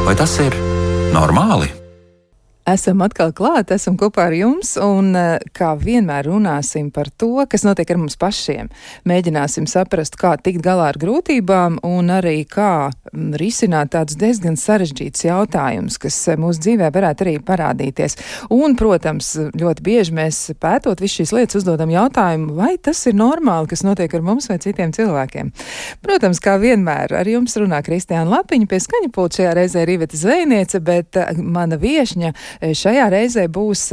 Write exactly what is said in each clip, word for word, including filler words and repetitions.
Vai tas ir normāli? Esam atkal klāt, esam kopā ar jums un kā vienmēr runāsim par to, kas notiek ar mums pašiem. Mēģināsim saprast, kā tikt galā ar grūtībām un arī kā risināt tādus diezgan sarežģītus jautājumus, kas mūsu dzīvē varētu arī parādīties. Un, protams, ļoti bieži mēs pētot visu šīs lietas uzdodam jautājumu, vai tas ir normāli, kas notiek ar mums vai citiem cilvēkiem. Protams, kā vienmēr ar jums runā Kristiāna Lapiņa, pie skaņa pulta šajā reizē ir Iveta Zvejniece, bet mana viešņa šajā reizē būs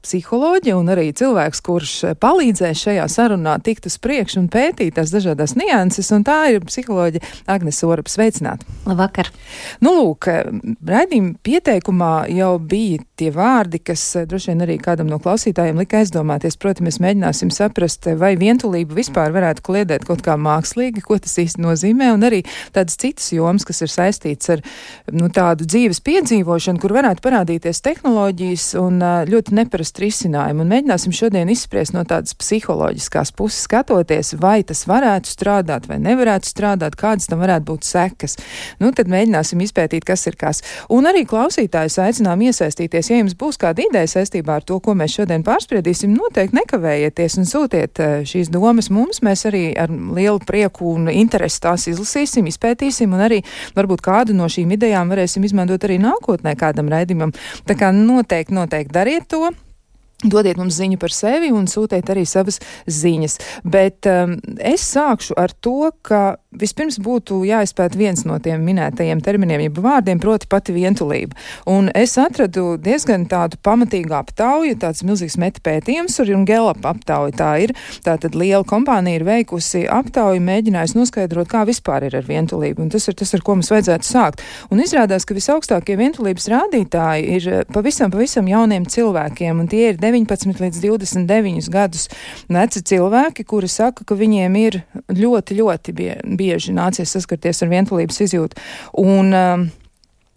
psiholoģi un arī cilvēks, kurš palīdzēs šajā sarunā tikt uz priekšu un pētīt tās dažādas nianses, un tā ir psiholoģe Agnese Orope. Sveicināta! Labvakar! Nu, lūk, raidījuma pieteikumā jau bija tie vārdi, kas droši vien arī kādam no klausītājiem lika aizdomāties. Proti, mēs mēģināsim saprast, vai vientulība vispār varētu kliedēt kaut kā mākslīgi, ko tas īsti nozīmē, un arī tādas citas jomas, kas ir saistīts ar nu, tādu dzīves piedzīvošanu, kur varētu parādīties tehnoloģijas un ļoti neparasti risinājumu. Un mēģināsim šodien izspriest no tādas psiholoģiskās puses skatoties, vai tas varētu strādāt vai nevarētu strādāt, kādas tam varētu būt sekas. Nu, tad mēģināsim izpētīt, kas ir kas. Un arī klausītājus aicinām iesaistīties. Ja jums būs kāda ideja saistībā ar to, ko mēs šodien pārspriedīsim, noteikti nekavējieties un sūtiet šīs domas mums. Mēs arī ar lielu prieku un interesi tās izlasīsim, izpētīsim un arī varbūt kādu no šīm idejām varēsim izmantot arī nākotnē kādam raidījumam. Tā kā noteikti, noteikti dariet to. Dodiet mums ziņu par sevi un sūtiet arī savas ziņas. Bet um, es sākšu ar to, ka vispirms būtu jāizpēt viens no tiem minētajiem terminiem, jeb vārdiem, proti pati vientulība. Un es atradu diezgan tādu pamatīgu aptauju, tāds milzīgs metapētījums, un Gallup aptauja tā ir. Tātad liela kompānija ir veikusi aptauju, mēģinājusi noskaidrot, kā vispār ir ar vientulību. Un tas ir tas, ar ko mums vajadzētu sākt. Un izrādās, ka visaugstākie vientulības rādītāji ir pavisam, pavisam jauniem cilvēkiem, un tie ir deviņpadsmit līdz divdesmit deviņus gadus veci cilvēki, kuri saka, ka viņiem ir ļoti, ļoti bie, bieži nācies saskarties ar vientulības izjūtu. Un um,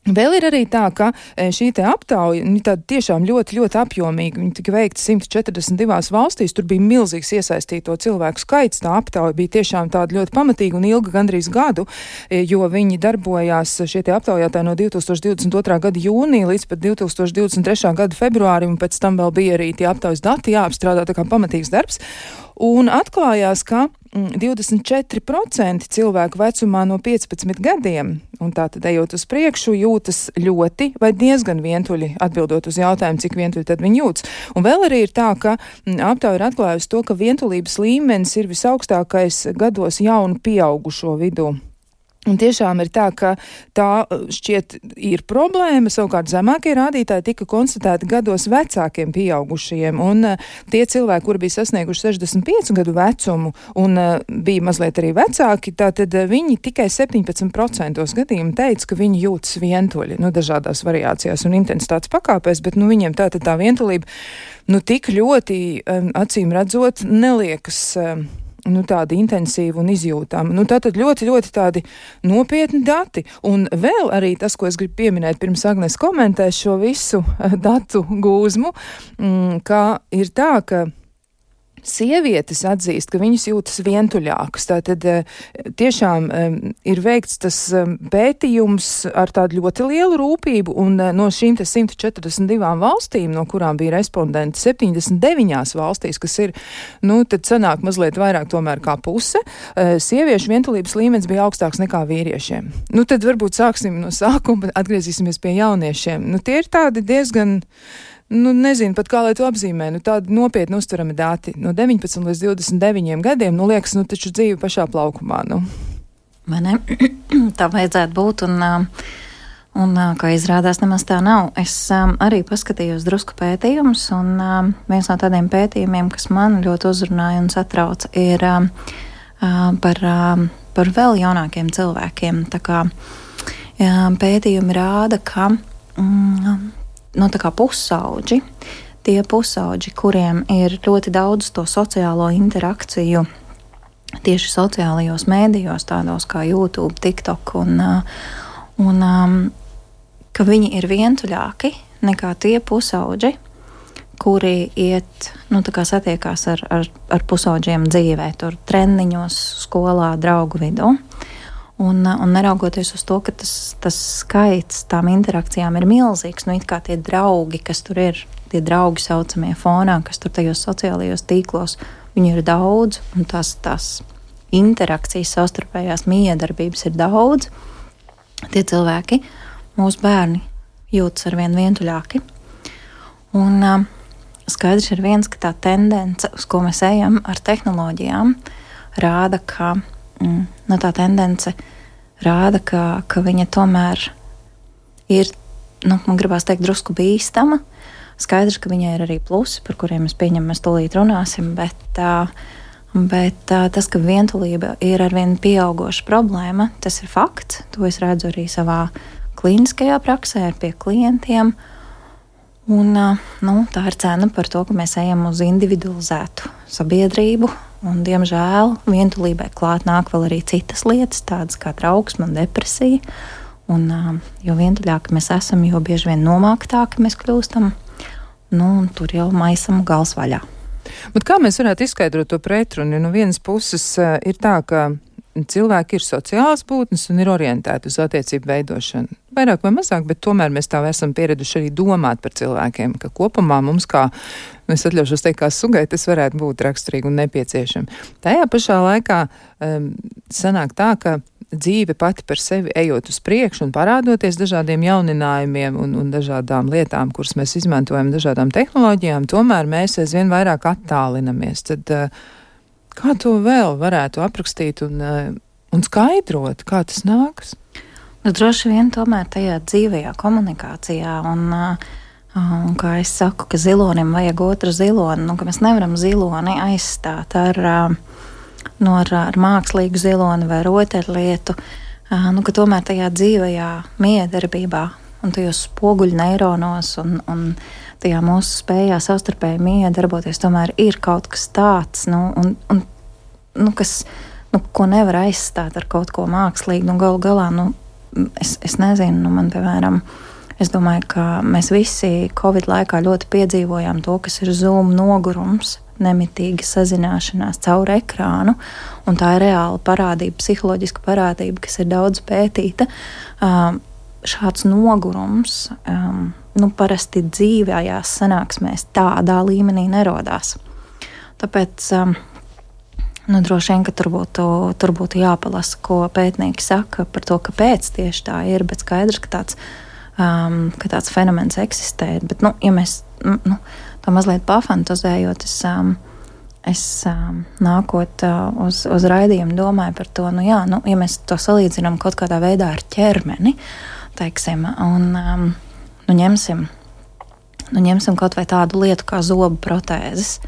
vēl ir arī tā, ka šī te aptauja, nu, tāda tiešām ļoti, ļoti apjomīga, viņa tika veikta simt četrdesmit divās valstīs, tur bija milzīgs iesaistīto cilvēku skaits, tā aptauja bija tiešām tāda ļoti pamatīga un ilga gandrīz gadu, jo viņi darbojās šie te aptaujātāji no divi tūkstoši divdesmit otrā gada jūnija līdz pat divi tūkstoši divdesmit trešā gada februārim, un pēc tam vēl bija arī tie aptaujas dati jāapstrādā, tā kā pamatīgs darbs. Un atklājās, ka divdesmit četri procenti cilvēku vecumā no piecpadsmit gadiem, un tā tad ejot uz priekšu, jūtas ļoti vai diezgan vientuļi, atbildot uz jautājumu, cik vientuļi tad viņi jūtas. Un vēl arī ir tā, ka aptauja ir atklājusi to, ka vientulības līmenis ir visaugstākais gados jaunu pieaugušo vidū. Un tiešām ir tā, ka tā šķiet ir problēma, savukārt zemākie rādītāji tika konstatēti gados vecākiem pieaugušajiem, un uh, tie cilvēki, kuri bija sasnieguši sešdesmit piecu gadu vecumu un uh, bija mazliet arī vecāki, tātad uh, viņi tikai septiņpadsmit procentos gadījumu teica, ka viņi jūtas vientuļi, nu, dažādās variācijās un intensitātes pakāpēs, bet, nu, viņiem tātad tā vientulība, nu, tik ļoti, um, acīm redzot, neliekas um, nu, tādi intensīvi un izjūtami. Nu, tātad ļoti, ļoti tādi nopietni dati. Un vēl arī tas, ko es gribu pieminēt, pirms Agnes komentēs šo visu datu gūzmu, mm, ka ir tā, ka sievietes atzīst, ka viņas jūtas vientuļākas. Tātad tiešām ir veikts tas pētījums ar tādu ļoti lielu rūpību, un no šīm te simt četrdesmit divām valstīm, no kurām bija respondenti septiņdesmit deviņās valstīs, kas ir, nu, tad sanāk mazliet vairāk tomēr kā puse, sieviešu vientulības līmenis bija augstāks nekā vīriešiem. Nu, tad varbūt sāksim no sākuma, atgriezīsimies pie jauniešiem. Nu, tie ir tādi diezgan, nu, nezinu pat kā lai to apzīmē, nu, tādi nopietni uztverami dati. No deviņpadsmit līdz divdesmit deviņiem gadiem, nu, liekas, nu, taču dzīve pašā plaukumā, nu. Vai ne? Tā vajadzētu būt, un, un, kā izrādās, nemaz tā nav. Es um, arī paskatījos drusku pētījumus, un um, viens no tādiem pētījumiem, kas man ļoti uzrunāja un satrauca, ir um, par, um, par vēl jaunākiem cilvēkiem. Tā kā um, pētījumi rāda, ka um, no tā kā pusauģi, tie pusauģi, kuriem ir ļoti daudz to sociālo interakciju tieši sociālajos mēdījos, tādos kā YouTube, TikTok, un, un um, ka viņi ir vientuļāki nekā tie pusauģi, kuri iet, nu tā kā satiekās ar, ar, ar pusauģiem dzīvē, tur treniņos, skolā, draugu vidū. Un, un neraugoties uz to, ka tas, tas skaits tām interakcijām ir milzīgs, nu it kā tie draugi, kas tur ir, tie draugi saucamie fonā, kas tur tajos sociālajos tīklos, viņi ir daudz, un tās, tās interakcijas, savstarpējās miedarbības ir daudz. Tie cilvēki, mūsu bērni, jūtas arvien vientuļāki. Un uh, skaidrs ir viens, ka tā tendence, uz ko mēs ejam ar tehnoloģijām, rāda, ka mm, no tā tendence rāda, ka, ka viņa tomēr ir, nu, man gribās teikt, drusku bīstama. Skaidrs, ka viņai ir arī plusi, par kuriem mēs pieņemam, mēs tūlīt runāsim, bet, uh, bet uh, tas, ka vientulība ir arvien pieaugoša problēma, tas ir fakts. To es redzu arī savā klīniskajā praksē pie klientiem. Un, uh, nu, tā ir cena par to, ka mēs ejam uz individualizētu sabiedrību. Un, diemžēl, vientulībai klāt nāk vēl arī citas lietas, tādas kā trauksme un depresija. Un, uh, jo vientuļāki mēs esam, jo bieži vien nomāktāki mēs kļūstam. Nu, un tur jau maisam gals vaļā. Bet kā mēs varētu izskaidrot to pretrunu? No vienas puses uh, ir tā, ka cilvēki ir sociāls būtnes un ir orientēti uz attiecību veidošanu. Vairāk vai mazāk, bet tomēr mēs tā esam pieraduši arī domāt par cilvēkiem, ka kopumā mums kā, es atļaušos teikt, kā sugai, tas varētu būt raksturīgi un nepieciešami. Tajā pašā laikā um, sanāk tā, ka dzīve pati par sevi ejot uz priekšu un parādoties dažādiem jauninājumiem un, un dažādām lietām, kuras mēs izmantojam, dažādām tehnoloģijām, tomēr mēs aizvien vairāk attālinamies. Tad uh, kā to vēl varētu aprakstīt un, uh, un skaidrot, kā tas nākas? Nu, droši vien tomēr tajā dzīvajā komunikācijā un, uh, un kā es saku, ka zilonim vajag otru ziloni, nu, ka mēs nevaram ziloni aizstāt ar, uh, no, ar, ar mākslīgu ziloni vai rotaļlietu, uh, nu, ka tomēr tajā dzīvajā miedarbībā un tajos spoguļu neironos un, un tajā mūsu spējā savstarpēji miedarboties tomēr ir kaut kas tāds, nu, un, un, nu, kas, nu, ko nevar aizstāt ar kaut ko mākslīgu, nu, galu galā, nu, Es, es nezinu, nu man, piemēram, es domāju, ka mēs visi Covid laikā ļoti piedzīvojām to, kas ir Zoom nogurums, nemitīga sazināšanās caur ekrānu, un tā ir reāla parādība, psiholoģiska parādība, kas ir daudz pētīta. Um, šāds nogurums, um, nu, parasti dzīvējās sanāksmēs tādā līmenī nerodās. Tāpēc um, Nu, droši vien, ka tur būtu, tur būtu jāpalasa, ko pētnieki saka par to, kāpēc tieši tā ir, bet skaidrs, ka tāds, um, ka tāds fenomens eksistē. Bet, nu, ja mēs nu, to mazliet pafantazējot, es, um, es um, nākot uh, uz, uz raidījumu domāju par to, nu jā, nu, ja mēs to salīdzinām kaut kādā veidā ar ķermeni, teiksim, un um, nu, ņemsim, nu, ņemsim kaut vai tādu lietu kā zobu protēzes,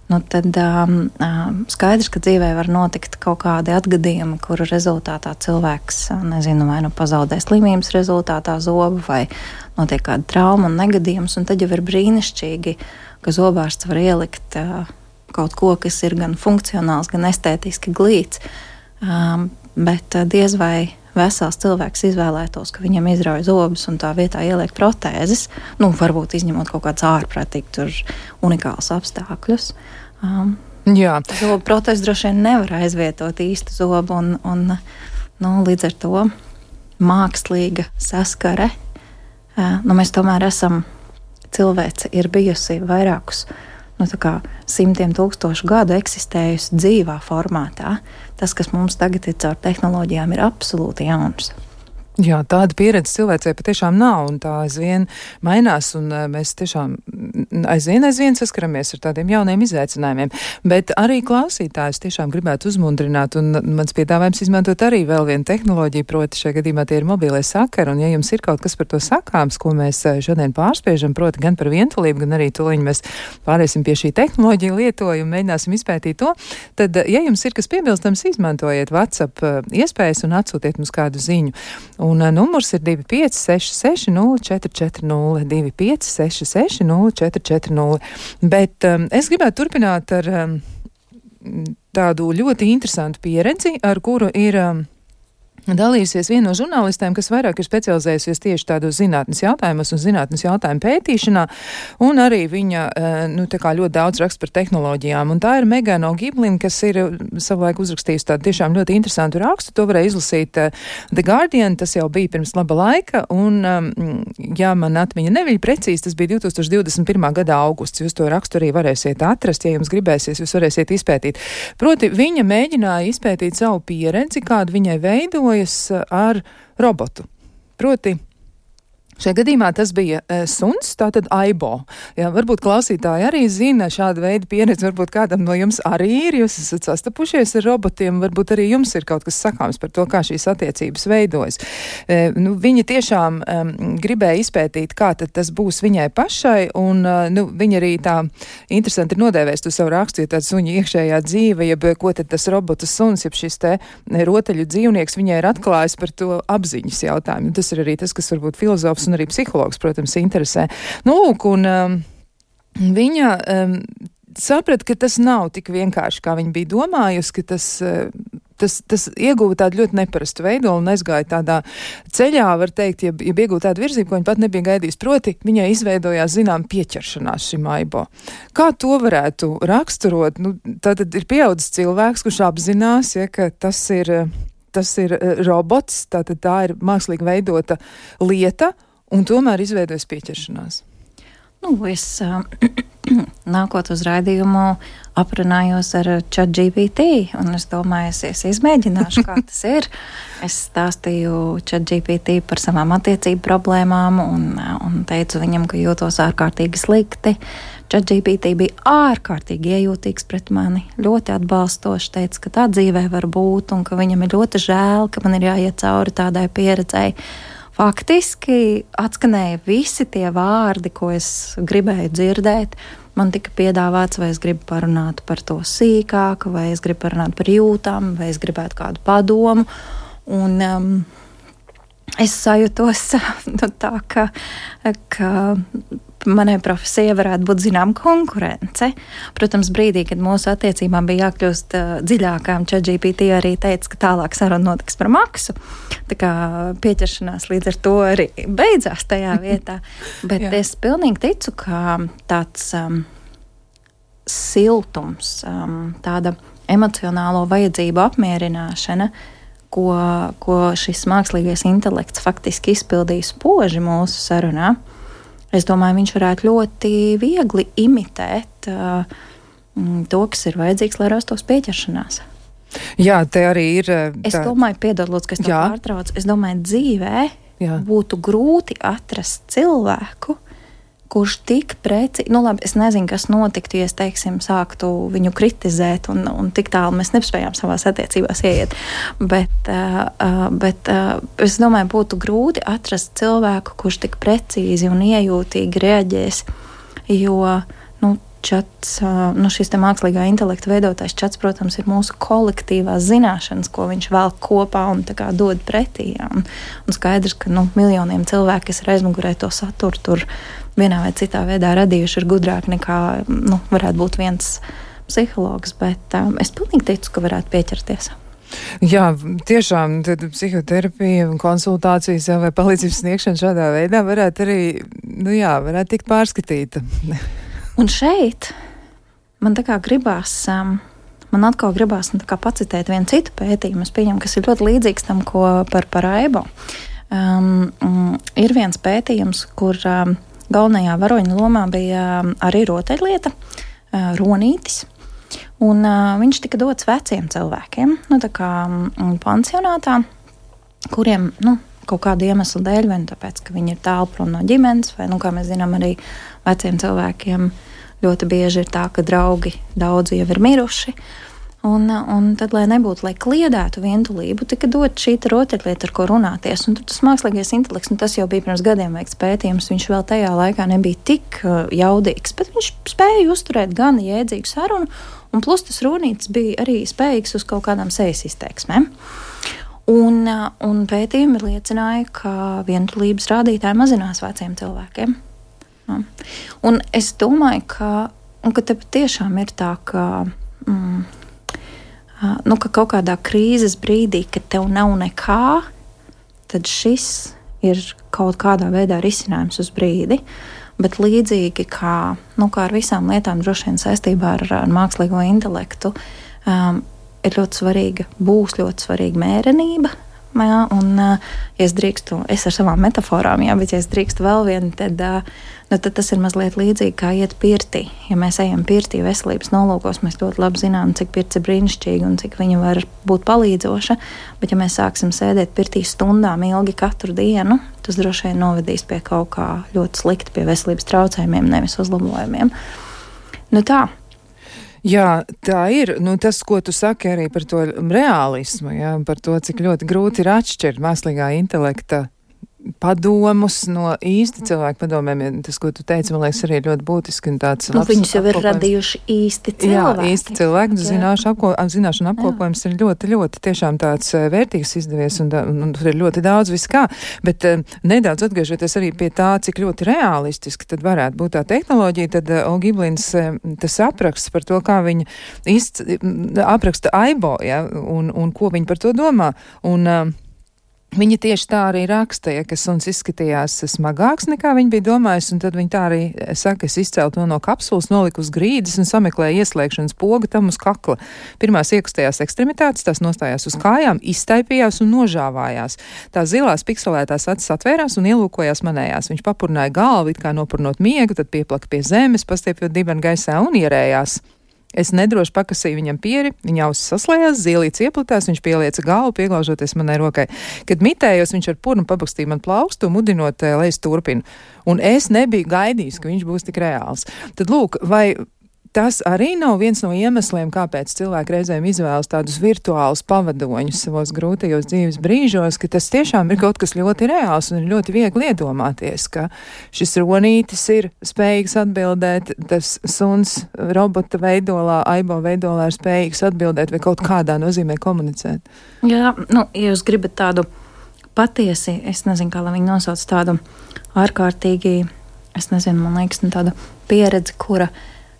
Nu, tad um, skaidrs, ka dzīvē var notikt kaut kādi atgadījumi, kuru rezultātā cilvēks, nezinu, vai nu pazaudē slimības rezultātā zobu, vai notiek kāda trauma un negadījums, un tad jau ir brīnišķīgi, ka zobārsts var ielikt uh, kaut ko, kas ir gan funkcionāls, gan estētiski glīts, um, bet uh, diez vai vesels cilvēks izvēlētos, ka viņam izrauj zobus un tā vietā ieliek protēzes, nu, varbūt izņemot kaut kāds ārprātīgi tur unikāls apstākļus. Um, Jā. Zobu protēzes droši vien nevar aizvietot īstu zobu un, un nu, līdz ar to mākslīga saskare. Uh, nu, mēs tomēr esam, cilvēce ir bijusi vairākus nu, tā kā simtiem tūkstošu gadu eksistējusi dzīvā formātā. Tas, kas mums tagad ir caur tehnoloģijām, ir absolūti jauns. Jā, tāda pieredze cilvēcei patiešām nav, un tā aizvien mainās, un mēs tiešām aizvien, aizvien saskaramies ar tādiem jauniem izaicinājumiem. Bet arī klausītājus tiešām gribētu uzmundrināt, un mans piedāvājums izmantot arī vēl vienu tehnoloģiju, proti šajā gadījumā tie ir mobilie sakari, un ja jums ir kaut kas par to sakāms, ko mēs šodien pārspiežam, proti gan par vientulību, gan arī tūliņ mēs pāriesim pie šī tehnoloģija lietojumu, mēģināsim izpētīt to, tad, ja jums ir kas piebilstams, izmantojiet WhatsApp iespējas un atsūtiet mums kādu ziņu. Un uh, numurs ir divi pieci seši seši nulle četri četri nulle, divi pieci seši seši nulle četri četri nulle. Bet um, es gribētu turpināt ar um, tādu ļoti interesantu pieredzi, ar kuru ir um, dalījusies viena no žurnālistēm, kas vairāk ir specializējusies tieši tādos zinātnes jautājumos un zinātnes jautājumu pētīšanā, un arī viņa, nu, tā kā ļoti daudz raksta par tehnoloģijām. Un tā ir Megana O'Giblin, kas ir savulaik uzrakstījusi tādu tiešām ļoti interesantu rakstu. To varēja izlasīt The Guardian, tas jau bija pirms laba laika, un, ja man atmiņa neviļ precīzi, tas bija divi tūkstoši divdesmit pirmā gada augusts. Jūs to rakstu arī varēsiet atrast, ja jums gribēsies, jūs varēsiet izpētīt. Proti, viņa mēģināja izpētīt savu pieredzi, kādu viņai veidoja ar robotu. Proti, šajā gadījumā tas bija e, suns, tātad Aibo. Jā, varbūt klausītāji arī zina šādu veidu pieredzi, varbūt kādam no jums arī ir, jūs esat sastapušies ar robotiem, varbūt arī jums ir kaut kas sakāms par to, kā šīs attiecības veidojas. E, nu, viņa tiešām e, gribēja izpētīt, kā tad tas būs viņai pašai, un e, nu, viņa arī tā interesanti ir nodēvējis to savu rakstu, ja tāda suņa iekšējā dzīve, jeb ko tad tas robotu suns, jeb šis te rotaļu dzīvnieks viņai ir atklājis par to apziņas jautājumu. Tas ir arī tas, kas varbūt filozofs un arī psihologs, protams, interesē. Nu, lūk, un um, viņa um, saprata, ka tas nav tik vienkārši, kā viņa bija domājusi, ka tas, uh, tas, tas ieguva tādu ļoti neparastu veidolu un aizgāja tādā ceļā, var teikt, ja, ja ieguva tādu virzību, ko viņa pat nebija gaidījis. Proti, viņai izveidojās, zinām, pieķeršanās šim Aibo. Kā to varētu raksturot? Nu, tātad ir pieaudzis cilvēks, kurš apzinās, ja, ka tas ir, tas ir robots, tātad tā ir mākslīgi veidota lieta, un tomēr izveidojas pieķeršanās. Nu, es uh, nākot uz raidījumu aprunājos ar ChatGPT, un es domāju, es, es izmēģināšu, kā tas ir. Es stāstīju ChatGPT par savām attiecību problēmām un, un teicu viņam, ka jūtos ārkārtīgi slikti. ChatGPT bija ārkārtīgi iejūtīgs pret mani, ļoti atbalstoši, teica, ka tā dzīvē var būt un ka viņam ir ļoti žēl, ka man ir jāiet cauri tādai pieredzei. Faktiski atskanēja visi tie vārdi, ko es gribēju dzirdēt. Man tika piedāvāts, vai es gribu parunāt par to sīkāk, vai es gribu parunāt par jūtām, vai es gribētu kādu padomu. Un um, es sajūtos nu, tā, ka, ka manai profesijai varētu būt zinām konkurence. Protams, brīdī, kad mūsu attiecībām bija jākļūst uh, dziļākām, ChatGPT arī teica, ka tālāk saruna notiks par maksu. Tā kā pieķeršanās līdz ar to arī beidzās tajā vietā. Bet es pilnīgi ticu, ka tāds um, siltums, um, tāda emocionālo vajadzību apmierināšana, ko, ko šis mākslīgais intelekts faktiski izpildīs spoži mūsu sarunā, es domāju, viņš varētu ļoti viegli imitēt uh, to, kas ir vajadzīgs, lai rastos pieķeršanās. Jā, te arī ir. Tā... Es domāju, piedod, lūdzu, ka es to pārtraucu. Es domāju, dzīvē Jā. būtu grūti atrast cilvēku, kurš tik preci, nu labi, es nezinu, kas notiktu, ja es, teiksim, sāktu viņu kritizēt un, un tik tālu mēs nespējām savās attiecībās ieiet. Bet, uh, bet uh, es domāju, būtu grūti atrast cilvēku, kurš tik precīzi un iejūtīgi reaģēs, jo, nu, čats, uh, nu, šis te mākslīgā intelekta veidotais čats, protams, ir mūsu kolektīvās zināšanas, ko viņš velk kopā un tā kā dod pretī. Un, un skaidrs, ka, nu, miljoniem cilvēku, kas ir aizmugurē to saturu, tur vienā vai citā veidā radījuši ir gudrāk nekā, nu, varētu būt viens psihologs, bet um, es pilnīgi ticu, ka varētu pieķerties. Jā, tiešām tad psihoterapija un konsultācijas vai palīdzības sniegšana šādā veidā varētu arī, nu jā, varētu tikt pārskatīta. Un šeit man tā kā gribās, um, man atkal gribās nu, tā kā pacitēt vienu citu pētījumu, es pieņemu, kas ir ļoti līdzīgs tam, ko par, par Aibo. Um, um, ir viens pētījums, kur um, galvenajā varoņa lomā bija arī rotaļlieta, ronītis, un viņš tika dots veciem cilvēkiem, nu tā kā pansionātā, kuriem, nu, kaut kādu iemeslu dēļ, vai nu tāpēc, ka viņi ir tālu prom no ģimenes, vai, nu, kā mēs zinām, arī veciem cilvēkiem ļoti bieži ir tā, ka draugi daudzi jau ir miruši, Un, un tad, lai nebūtu, lai kliedētu vientulību, tika dot šī rotaļlieta, ar ko runāties. Un tas mākslīgais intelekts, nu, tas jau bija pirms gadiem veikts pētījums, viņš vēl tajā laikā nebija tik uh, jaudīgs, bet viņš spēja uzturēt gan jēdzīgu sarunu, un plus tas runītis bija arī spējīgs uz kaut kādām sejas izteiksmēm. Un, uh, un pētījumi liecināja, ka vientulības rādītāji mazinās veciem cilvēkiem. Ja. Un es domāju, ka, un, ka te tiešām ir tā, ka... Mm, uh, nu, ka kaut kādā krīzes brīdī, kad tev nav nekā, tad šis ir kaut kādā veidā risinājums uz brīdi. Bet līdzīgi kā, nu, kā ar visām lietām, droši vien saistībā ar, ar mākslīgo intelektu, um, ir ļoti svarīga, būs ļoti svarīga mērenība. Jā, un, ja es drīkstu, es ar savām metaforām, jā, bet ja es drīkstu vēl vienu, tad, nu, tad tas ir mazliet līdzīgi kā iet pirtī. Ja mēs ejam pirtī veselības nolūkos, mēs ļoti labi zinām, cik pirts ir brīnišķīga un cik viņa var būt palīdzoša, bet ja mēs sāksim sēdēt pirtī stundām ilgi katru dienu, tas droši vien novedīs pie kaut kā ļoti slikti, pie veselības traucējumiem, nevis uzlabojumiem. Nu tā. Jā, tā ir. Nu, tas, ko tu saki arī par to realismu, jā, par to, cik ļoti grūti ir atšķirt mākslīgā intelekta padomus no īsti cilvēku padomēm. Tas, ko tu teici, man liekas, arī ļoti būtiski. Un tāds nu, viņus jau ir radījuši īsti cilvēki. Jā, īsti cilvēki. Zināšu, apko, zināšanu apkopojums jā. ir ļoti, ļoti tiešām tāds vērtīgs izdevies, un, un, un tur ir ļoti daudz viskā. Bet uh, nedaudz atgriežoties arī pie tā, cik ļoti realistiski tad varētu būt tā tehnoloģija, tad uh, Olga Iblins uh, tas apraksts par to, kā viņa izc, apraksta Aibo, ja, un, un ko viņa par to domā. Un, uh, Viņa tieši tā arī raksta, ja, ka suns izskatījās smagāks nekā viņa bija domājusi, un tad viņa tā arī saka, es izcēlu to no kapsulas, noliku uz grīdas un sameklēju ieslēgšanas pogu tam uz kakla. Pirmās iekustējās ekstremitātes, tās nostājās uz kājām, iztaipījās un nožāvājās. Tās zilās pikselētās acis atvērās un ielūkojās manējās. Viņš papurnāja galvu, it kā nopurnot miegu, tad pieplaka pie zemes, pastiepjot dibenu gaisā un ierējās. Es nedroši pakasīju viņam pieri, viņa ausis saslējās, zīlīts ieplatās, viņš pielieca galvu, pieglaužoties manai rokai. Kad mitējos, viņš ar purnu pabakstīja man plaukstu, mudinot, lai es turpinu. Un es nebiju gaidījis, ka viņš būs tik reāls. Tad lūk, vai tas arī nav viens no iemesliem, kāpēc cilvēki reizēm izvēlas tādus virtuālus pavadoņus savos grūtajos dzīves brīžos, ka tas tiešām ir kaut kas ļoti reāls un ir ļoti viegli iedomāties, ka šis ronītis ir spējīgs atbildēt, tas suns robota veidolā, Aibo veidolā ir spējīgs atbildēt vai kaut kādā nozīmē komunicēt. Jā, nu, ja jūs gribat tādu patiesi, es nezinu, kā lai viņi nosauc tādu ārkārtīgi, es nezinu, man liekas, tādu pieredzi, kura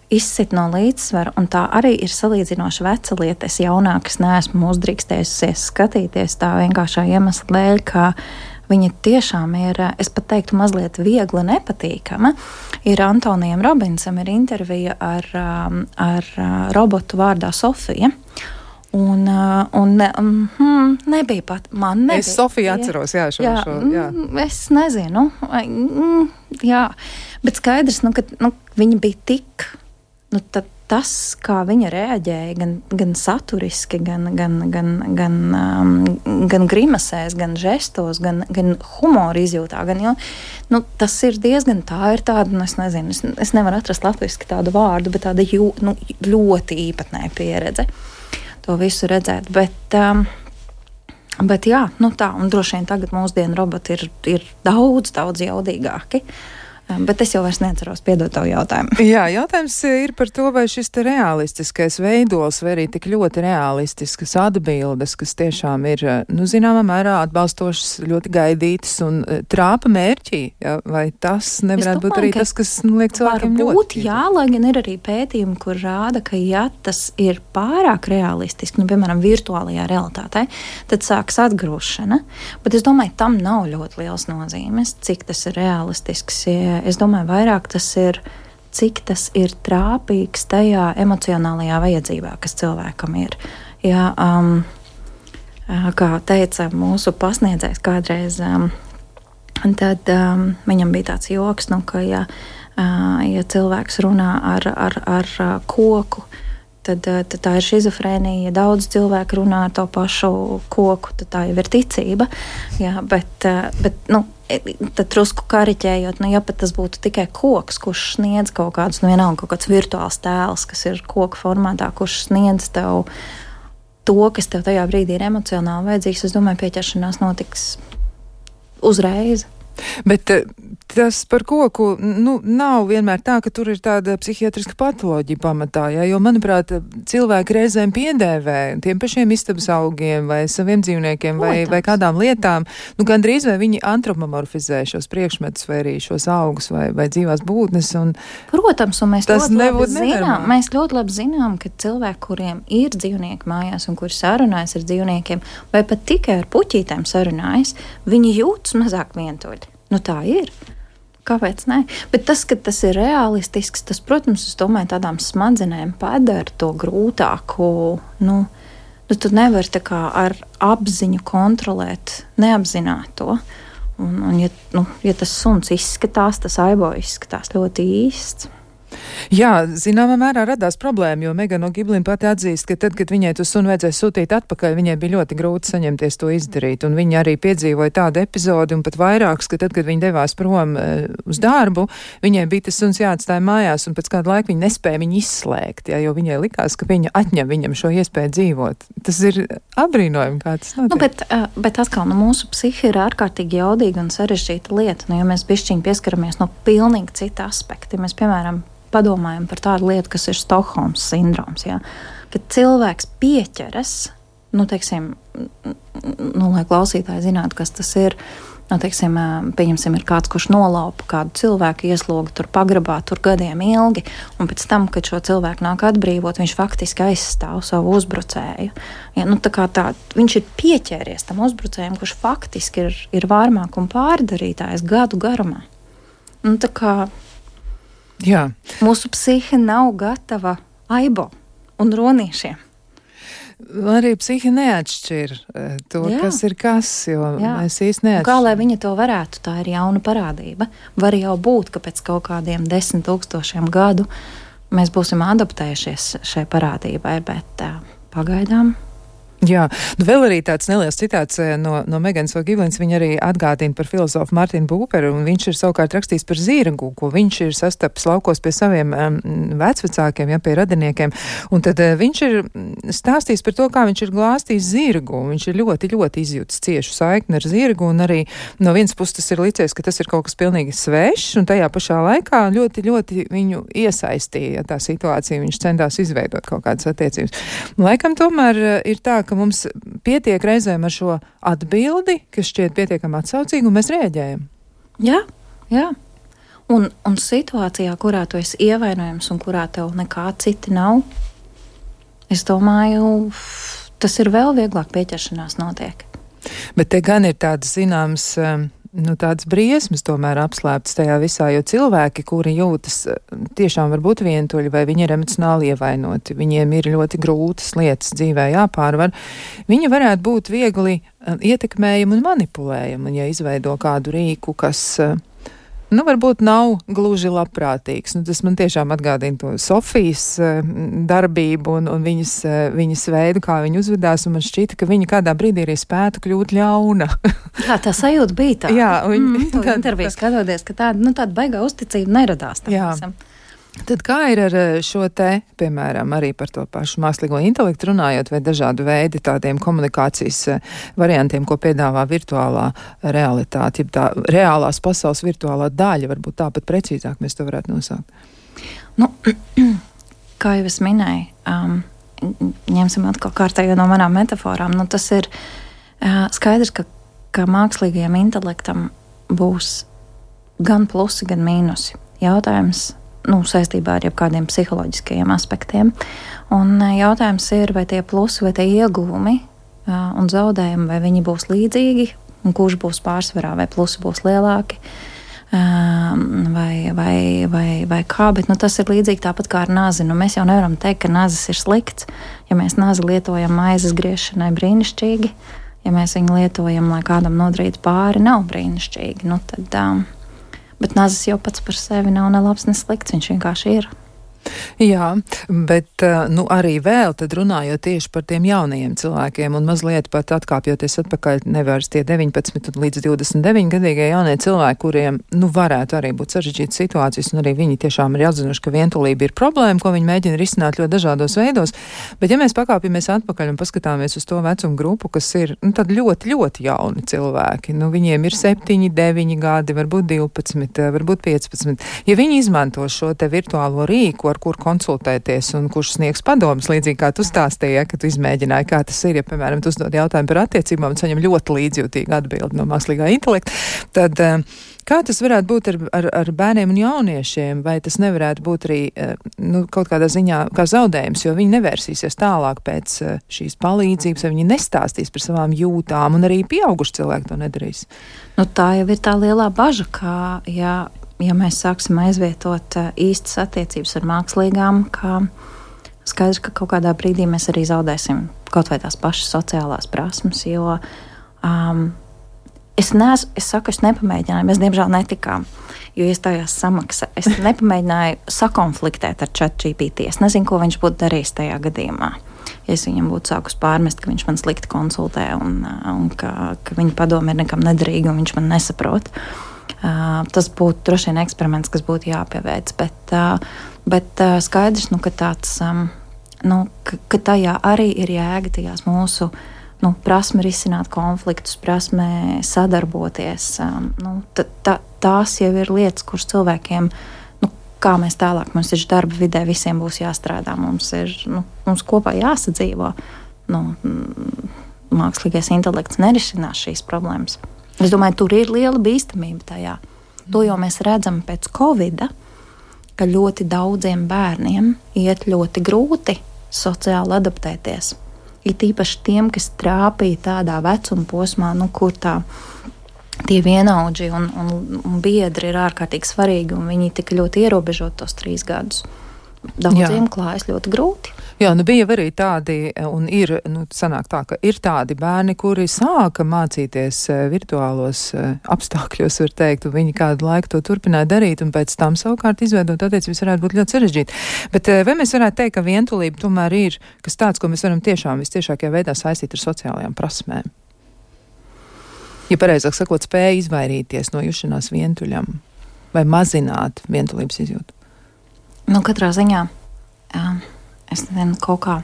izsit no līdzsvara, un tā arī ir salīdzinoši veca lieta. Es jaunākas neesmu uzdrīkstējusies skatīties tā vienkāršā iemesla dēļ, ka viņa tiešām ir, es pat teiktu, mazliet viegli nepatīkama. Ir Antonijam Robinsam ir intervija ar, ar robotu vārdā Sofija. Un, un mm, nebija pat, man nebija. Es Sofiju atceros, jā, šo, jā, šo, jā. Es nezinu, mm, jā, bet skaidrs, nu, ka nu, viņa bija tik, nu, tad tas, kā viņa reaģēja, gan, gan saturiski, gan, gan, gan, gan, um, gan grimasēs, gan žestos, gan, gan humoru izjūtā, gan, jo, nu, tas ir diezgan, tā ir tāda, nu, es nezinu, es, es nevaru atrast latviski tādu vārdu, bet tāda jū, nu, ļoti īpatnēja pieredze to visu redzēt, bet, um, bet jā, nu tā, un droši vien tagad mūsdienu roboti ir, ir daudz, daudz jaudīgāki. Bet es jau vairs neatceros, piedod tavu jautājumu. Jā, jautājums ir par to, vai šis te realistiskais veidols, vai arī tik ļoti realistiskas atbildes, kas tiešām ir, nu, zināmā mērā atbalstošas, ļoti gaidītas un trāpa mērķī, ja? Vai tas nevarētu domāju, būt arī tas, kas, nu, liek cilvēkiem ļoti? Būt, jā, lai gan ir arī pētījumi, kur rāda, ka ja tas ir pārāk realistiski, nu, piemēram, virtuālajā realitātē, tad sāks atgrūšana, bet es domāju, tam nav ļoti liels nozīmes, cik tas ir realistisks. Es domāju, vairāk tas ir, cik tas ir trāpīgs tajā emocionālajā vajadzībā, kas cilvēkam ir. Ja, um, kā teica mūsu pasniedzējs kādreiz, um, tad um, viņam bija tāds joks, nu, ka ja, uh, ja cilvēks runā ar, ar, ar koku, Tad, tad tā ir šizofrēnija. Ja daudz cilvēku runā ar to pašu koku, tad tā jau ir ticība. Jā, bet, bet nu, tad drusku kariķējot, nu, ja pat tas būtu tikai koks, kurš sniedz kaut kādus, nu, vienalga kaut kāds virtuāls tēls, kas ir koka formātā, kurš sniedz tev to, kas tev tajā brīdī ir emocionāli vajadzīgs, es domāju, pieķeršanās notiks uzreiz. Bet Tas par koku, nu, nav vienmēr tā, ka tur ir tāda psihiatriska patoloģija pamatā, jā, jo, manuprāt, cilvēki reizēm piedēvē tiem pašiem istabas augiem vai saviem dzīvniekiem vai, vai kādām lietām, nu, gandrīz vai viņi antropomorfizē šos priekšmetus vai arī šos augus vai, vai dzīvās būtnes. Un Protams, un mēs ļoti labi zinām, nenormāli. mēs ļoti labi zinām, ka cilvēki, kuriem ir dzīvnieki mājās un kuri sarunājas ar dzīvniekiem vai pat tikai ar puķītēm sarunājas, viņi jūtas mazāk vientuļi. Nu, tā ir. Kāpēc ne? Bet tas, ka tas ir realistisks, tas, protams, es domāju, tādām smadzenēm padara to grūtāku. Nu, nu tu nevari tā kā ar apziņu kontrolēt neapzināto. Un, un ja, nu, ja tas suns izskatās, tas aibo izskatās ļoti īsts. Jā, zināmā mērā radās problēma, jo Megana O'Giblin pati atzīst, ka tad, kad viņai to sunu vajadzēja sūtīt atpakaļ, viņai bija ļoti grūti saņemties to izdarīt, un viņa arī piedzīvoja tādu epizodi, un pat vairākus, ka tad, kad viņa devās prom uh, uz darbu, viņai bija tas suns jāatstāja mājās, un pēc kāda laika viņa nespēja viņu izslēgt, jā, jo viņai likās, ka viņa atņem viņam šo iespēju dzīvot. Tas ir apbrīnojami, kā tas notiek. Nu, bet, uh, bet atkal, nu, mūsu psihi ir ārkārtīgi jaudīga un sarežģīta lieta, nu, ja mēs bišķiņi pieskaramies no pilnīgi cita aspekta, ja mēs, piemēram, padomājam par tādu lietu, kas ir Stokholmas sindroms, jā, kad cilvēks pieķeras, nu, teiksim, nu, lai klausītāji zinātu, kas tas ir, nu, teiksim, pieņemsim, ir kāds, kurš nolaupa kādu cilvēku, iesloga tur pagrabā, tur gadiem ilgi, un pēc tam, kad šo cilvēku nāk atbrīvot, viņš faktiski aizstāv savu uzbrucēju. Ja, nu, tā kā tā, viņš ir pieķēries tam uzbrucējiem, kurš faktiski ir, ir vārmāk un pārdarītājs gadu garumā. Nu, tā kā Jā. Mūsu psihe nav gatava aibo un ronīšiem. Arī psihi neatšķir to, Jā. kas ir kas, jo Jā. mēs īsti neatšķiram. Kā lai viņa to varētu, tā ir jauna parādība. Var jau būt, ka pēc kaut kādiem desmit tūkstošiem gadu mēs būsim adaptējušies šai parādībai, bet uh, pagaidām. Jā, nu vēl arī tāds neliels citāts no, no Meganas O'Giblins, viņa arī atgādina par filozofu Martinu Būperu, un viņš ir savukārt rakstījis par zirgu, ko viņš ir sastapis laukos pie saviem um, vecvecākiem, ja, pie radiniekiem, un tad uh, viņš ir stāstījis par to, kā viņš ir glāstījis zirgu, un viņš ir ļoti, ļoti izjūtis ciešu saikni ar zirgu, un arī no vienas puses tas ir licies, ka tas ir kaut kas pilnīgi svešs, un tajā pašā laikā ļoti, ļoti viņu iesaistīja tā situācija, viņš centās izveidot kaut kādas attiecības. Laikam tomēr uh, ir tā, ka mums pietiek reizēm ar šo atbildi, kas šķiet pietiekami atsaucīgi, un mēs rēģējam. Jā, jā. Un, un situācijā, kurā tu esi ievainojams un kurā tev nekā citi nav, es domāju, tas ir vēl vieglāk pieķeršanās notiek. Bet te gan ir tādas zināmas, nu, tādas briesmas tomēr apslēptas tajā visā, jo cilvēki, kuri jūtas tiešām varbūt vientuļi vai viņi ir emocionāli ievainoti, viņiem ir ļoti grūtas lietas dzīvē jāpārvar, viņi varētu būt viegli ietekmējami un manipulējami, un ja izveido kādu rīku, kas, nu, varbūt nav gluži labprātīgs. Nu, tas man tiešām atgādina to Sofijas uh, darbību un, un viņas, uh, viņas veidu, kā viņa uzvedās, un man šķita, ka viņa kādā brīdī arī spētu kļūt ļauna. Jā, tā sajūta bija tā. Jā, un mm, to interviju skatoties, ka tāda, nu, tāda baigā uzticība neradās. Jā. Visam. Tad kā ir ar šo te, piemēram, arī par to pašu mākslīgo intelektu runājot, vai dažādu veidu tādiem komunikācijas variantiem, ko piedāvā virtuālā realitāte, ja tā reālās pasaules virtuālā daļa, varbūt tāpat precīzāk mēs to varētu nosaukt? Nu, kā jau es minēju, um, ņemsim atkal kārtējo no manām metaforām, nu tas ir uh, skaidrs, ka, ka mākslīgajam intelektam būs gan plusi, gan mīnusi. Jautājums nu, saistībā ar jebkādiem psiholoģiskajiem aspektiem. Un jautājums ir, vai tie plusi vai tie ieguvumi uh, un zaudējumi, vai viņi būs līdzīgi, un kurš būs pārsvarā, vai plusi būs lielāki, uh, vai, vai, vai, vai kā, bet nu, tas ir līdzīgi tāpat kā ar nazi. Nu, mēs jau nevaram teikt, ka nazis ir slikts, ja mēs nazi lietojam maizes griešanai brīnišķīgi, ja mēs viņu lietojam, lai kādam nodarītu pāri, nav brīnišķīgi, nu tad... Um, Bet nazis jau pats par sevi nav ne labs, ne slikts, viņš vienkārši ir. Jā, bet nu, arī vēl tad runājot tieši par tiem jaunajiem cilvēkiem un mazliet pat atkāpjoties atpakaļ nevaras tie deviņpadsmit līdz divdesmit deviņi gadīgie jaunie cilvēki, kuriem nu, varētu arī būt sarežģītas situācijas un arī viņi tiešām ir atzinuši, ka vientulība ir problēma, ko viņi mēģina risināt ļoti dažādos veidos. Bet ja mēs pakāpjamies atpakaļ un paskatāmies uz to vecumu grupu, kas ir nu, tad ļoti, ļoti jauni cilvēki, nu, viņiem ir septiņi, deviņi gadi, varbūt divpadsmit, varbūt piecpadsmit. Ja viņi izmanto šo te virtuālo rīku, ar kur konsultēties un kurš sniegs padomus, līdzīgi kā tu stāstīji, ja, ka tu izmēģināji, kā tas ir, ja, piemēram, tu uzdod jautājumu par attiecībām un saņem ļoti līdzjūtīgu atbildi no mākslīgā intelekta, tad kā tas varētu būt ar, ar, ar bērniem un jauniešiem, vai tas nevarētu būt arī nu, kaut kādā ziņā kā zaudējums, jo viņi nevērsīsies tālāk pēc šīs palīdzības, vai viņi nestāstīs par savām jūtām, un arī pieauguši cilvēki to nedarīs. Nu, tā jau ir tā lielā baža, kā, ja Ja mēs sāksim aizvietot īstas attiecības ar mākslīgām, ka skaidrs, ka kaut kādā brīdī mēs arī zaudēsim kaut vai tās pašas sociālās prasmes, jo um, es, nes, es saku, es nepamēģināju, mēs diemžēl netikām, jo iestājās samaksa. Es nepamēģināju sakonfliktēt ar ChatGPT. Es nezinu, ko viņš būtu darījis tajā gadījumā. Ja es viņam būtu sākus pārmest, ka viņš man slikti konsultē un, un ka, ka viņa padoma ir nekam nederīga un viņš man nesaprot. Uh, tas būtu droši vien eksperiments, kas būtu jāpieveic, bet, uh, bet uh, skaidrs, nu, ka, tāds, um, nu, ka, ka tajā arī ir jēga tajās mūsu nu, prasme risināt konfliktus, prasme sadarboties. Um, nu, t, t, tās jau ir lietas, kuras cilvēkiem, nu, kā mēs tālāk, mums ir darba vidē, visiem būs jāstrādā, mums ir nu, mums kopā jāsadzīvo. Nu, mākslīgais intelekts nerisinās šīs problēmas. Es domāju, tur ir liela bīstamība tajā. To jau mēs redzam pēc Covida, ka ļoti daudziem bērniem iet ļoti grūti sociāli adaptēties. Ir tīpaši tiem, kas trāpīja tādā vecuma posmā, nu, kur tā, tie vienaudži un, un, un biedri ir ārkārtīgi svarīgi, un viņi tika ļoti ierobežot tos trīs gadus. Daudziem klājas ļoti grūti. Jā, nu bija arī tādi, un ir, nu, sanāk tā, ka ir tādi bērni, kuri sāka mācīties virtuālos apstākļos, var teikt, un viņi kādu laiku to turpināja darīt, un pēc tam savukārt izveidot attiecības varētu būt ļoti sarežģīti. Bet vai mēs varētu teikt, ka vientulība tomēr ir kas tāds, ko mēs varam tiešām vistiešākajā veidā saistīt ar sociālajām prasmēm? Ja pareizāk sakot, spēja izvairīties no jušanās vientuļam vai mazināt vientulības izjūtu? Nu, katrā ziņā, um, es nezinu, kaut kā,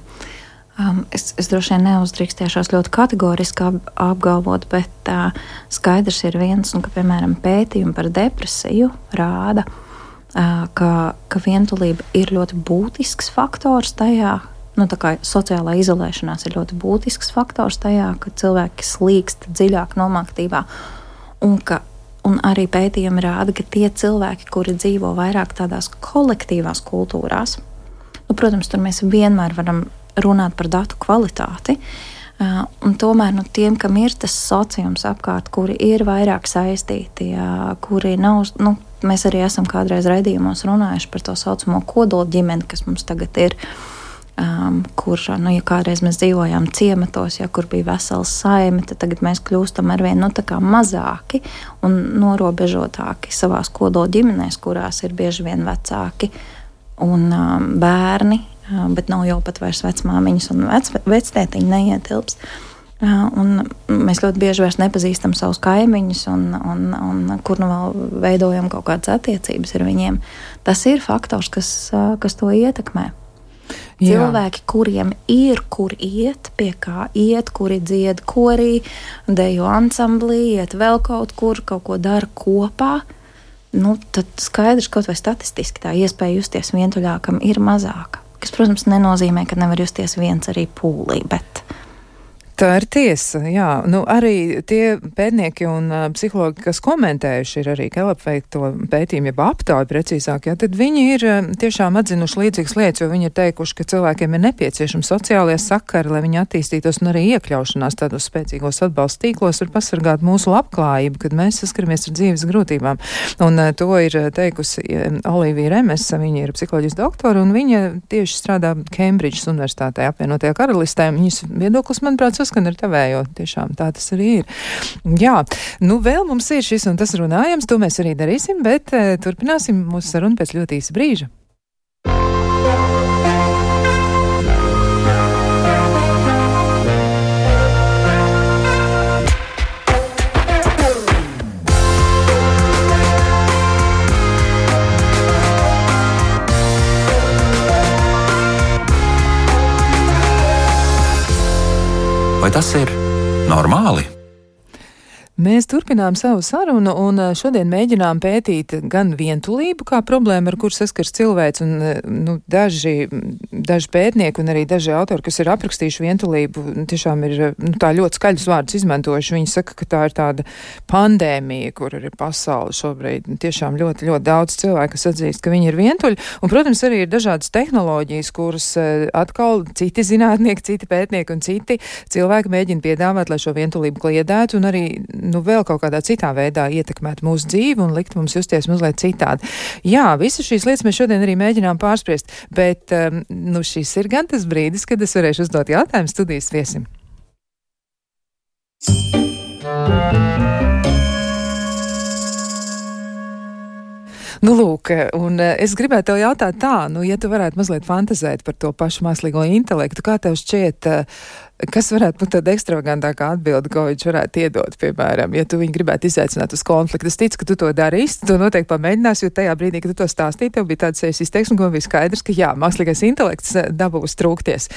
um, es, es droši vien neuzdrīkstēšos ļoti kategoriski ap, apgalvot, bet uh, skaidrs ir viens, un ka, piemēram, pētījumi par depresiju rāda, uh, ka, ka vientulība ir ļoti būtisks faktors tajā, nu, tā kā sociālā izolēšanās ir ļoti būtisks faktors tajā, ka cilvēki slīkst dziļāk nomaktībā, un ka Un arī pētījumi rāda, ka tie cilvēki, kuri dzīvo vairāk tādās kolektīvās kultūrās, nu, protams, tur mēs vienmēr varam runāt par datu kvalitāti, uh, un tomēr nu, tiem, kam ir tas sociums apkārt, kuri ir vairāk saistīti, uh, kuri nav, nu, mēs arī esam kādreiz raidījumos runājuši par to saucamo kodola ģimeni, kas mums tagad ir, Um, kur, nu, ja kādreiz mēs dzīvojām ciematos, ja kur bija vesels saime, tad tagad mēs kļūstam arvien nu, tā kā mazāki un norobežotāki savās kodola ģimenēs, kurās ir bieži vien vecāki un um, bērni, um, bet nav jau pat vairs vecmāmiņas un vec, vectētiņi neietilpst. Uh, un mēs ļoti bieži vairs nepazīstam savus kaimiņus un, un, un kur nu vēl veidojam kaut kādas attiecības ar viņiem. Tas ir faktors, kas, uh, kas to ietekmē. Jā. Cilvēki, kuriem ir kur iet, pie kā iet, kuri dzied korī, dejo ansamblī, iet vēl kaut kur, kaut ko dara kopā, nu, tad skaidrs, kaut vai statistiski tā iespēja justies vientuļākam ir mazāka. Kas, protams, nenozīmē, ka nevar justies viens arī pūlī, bet... Tā ir tiesa, jā. Nu, arī tie pētnieki un uh, psihologi, kas komentējuši ir arī Gallup veikto pētījumu, jeb aptāju precīzāk, jā, tad viņi ir uh, tiešām atzinuši līdzīgas lietas, jo viņi ir teikuši, ka cilvēkiem ir nepieciešami sociālie sakari, lai viņi attīstītos un arī iekļaušanās tādos spēcīgos atbalsta tīklos var pasargāt mūsu labklājību, kad mēs saskaramies ar dzīves grūtībām. Un uh, to ir teikusi uh, Olivija Remesa, viņa ir psiholoģijas doktora, un viņa tieši strādā Kembridžas universitātē apvienotajā karalistē. Viņas viedoklis, manuprāt, saskan ar tavējo. Tiešām tā tas arī ir. Jā, nu vēl mums ir šis un tas runājams, to mēs arī darīsim, bet uh, turpināsim mūsu sarunu pēc ļoti īsa brīža. tas ir normāli? Mēs turpinām savu sarunu un šodien mēģinām pētīt gan vientulību kā problēmu, ar kur saskars cilvēks, un nu, daži, daži pētnieki un arī daži autori, kas ir aprakstījuši vientulību, tiešām ir nu, tā ļoti skaļus vārdus izmantojuši. Viņi saka, ka tā ir tāda pandēmija, kur ir pasaule šobrīd. Tiešām ļoti, ļoti daudz cilvēku, kas atzīst, ka viņi ir vientuļi. Un, protams, arī ir dažādas tehnoloģijas, kuras atkal citi zinātnieki, citi pētnieki un citi cilvēki mēģina piedāvāt, lai šo vientulību kliedētu un arī nu, vēl kaut kādā citā veidā ietekmēt mūsu dzīvi un likt mums justies mazliet citādi. Jā, visas šīs lietas mēs šodien arī mēģinām pārspriest, bet um, nu, šis ir gan tas brīdis, kad es varēšu uzdot jautājumu studijas viesim. Nu, lūk, un es gribētu tev jautāt tā, nu, ja tu varētu mazliet fantazēt par to pašu mākslīgo intelektu, kā tev šķiet, kas varētu būt tāda ekstravagantākā atbilde, ko viņš varētu iedot, piemēram, ja tu viņu gribētu izaicināt uz konfliktu. Es ticu, ka tu to darīsi, tu noteikti pamēģināsi, jo tajā brīdī, kad tu to stāstīji, tev bija tāds sejas izteiksme, ko bija skaidrs, ka jā, mākslīgais intelekts dabūs trūkties.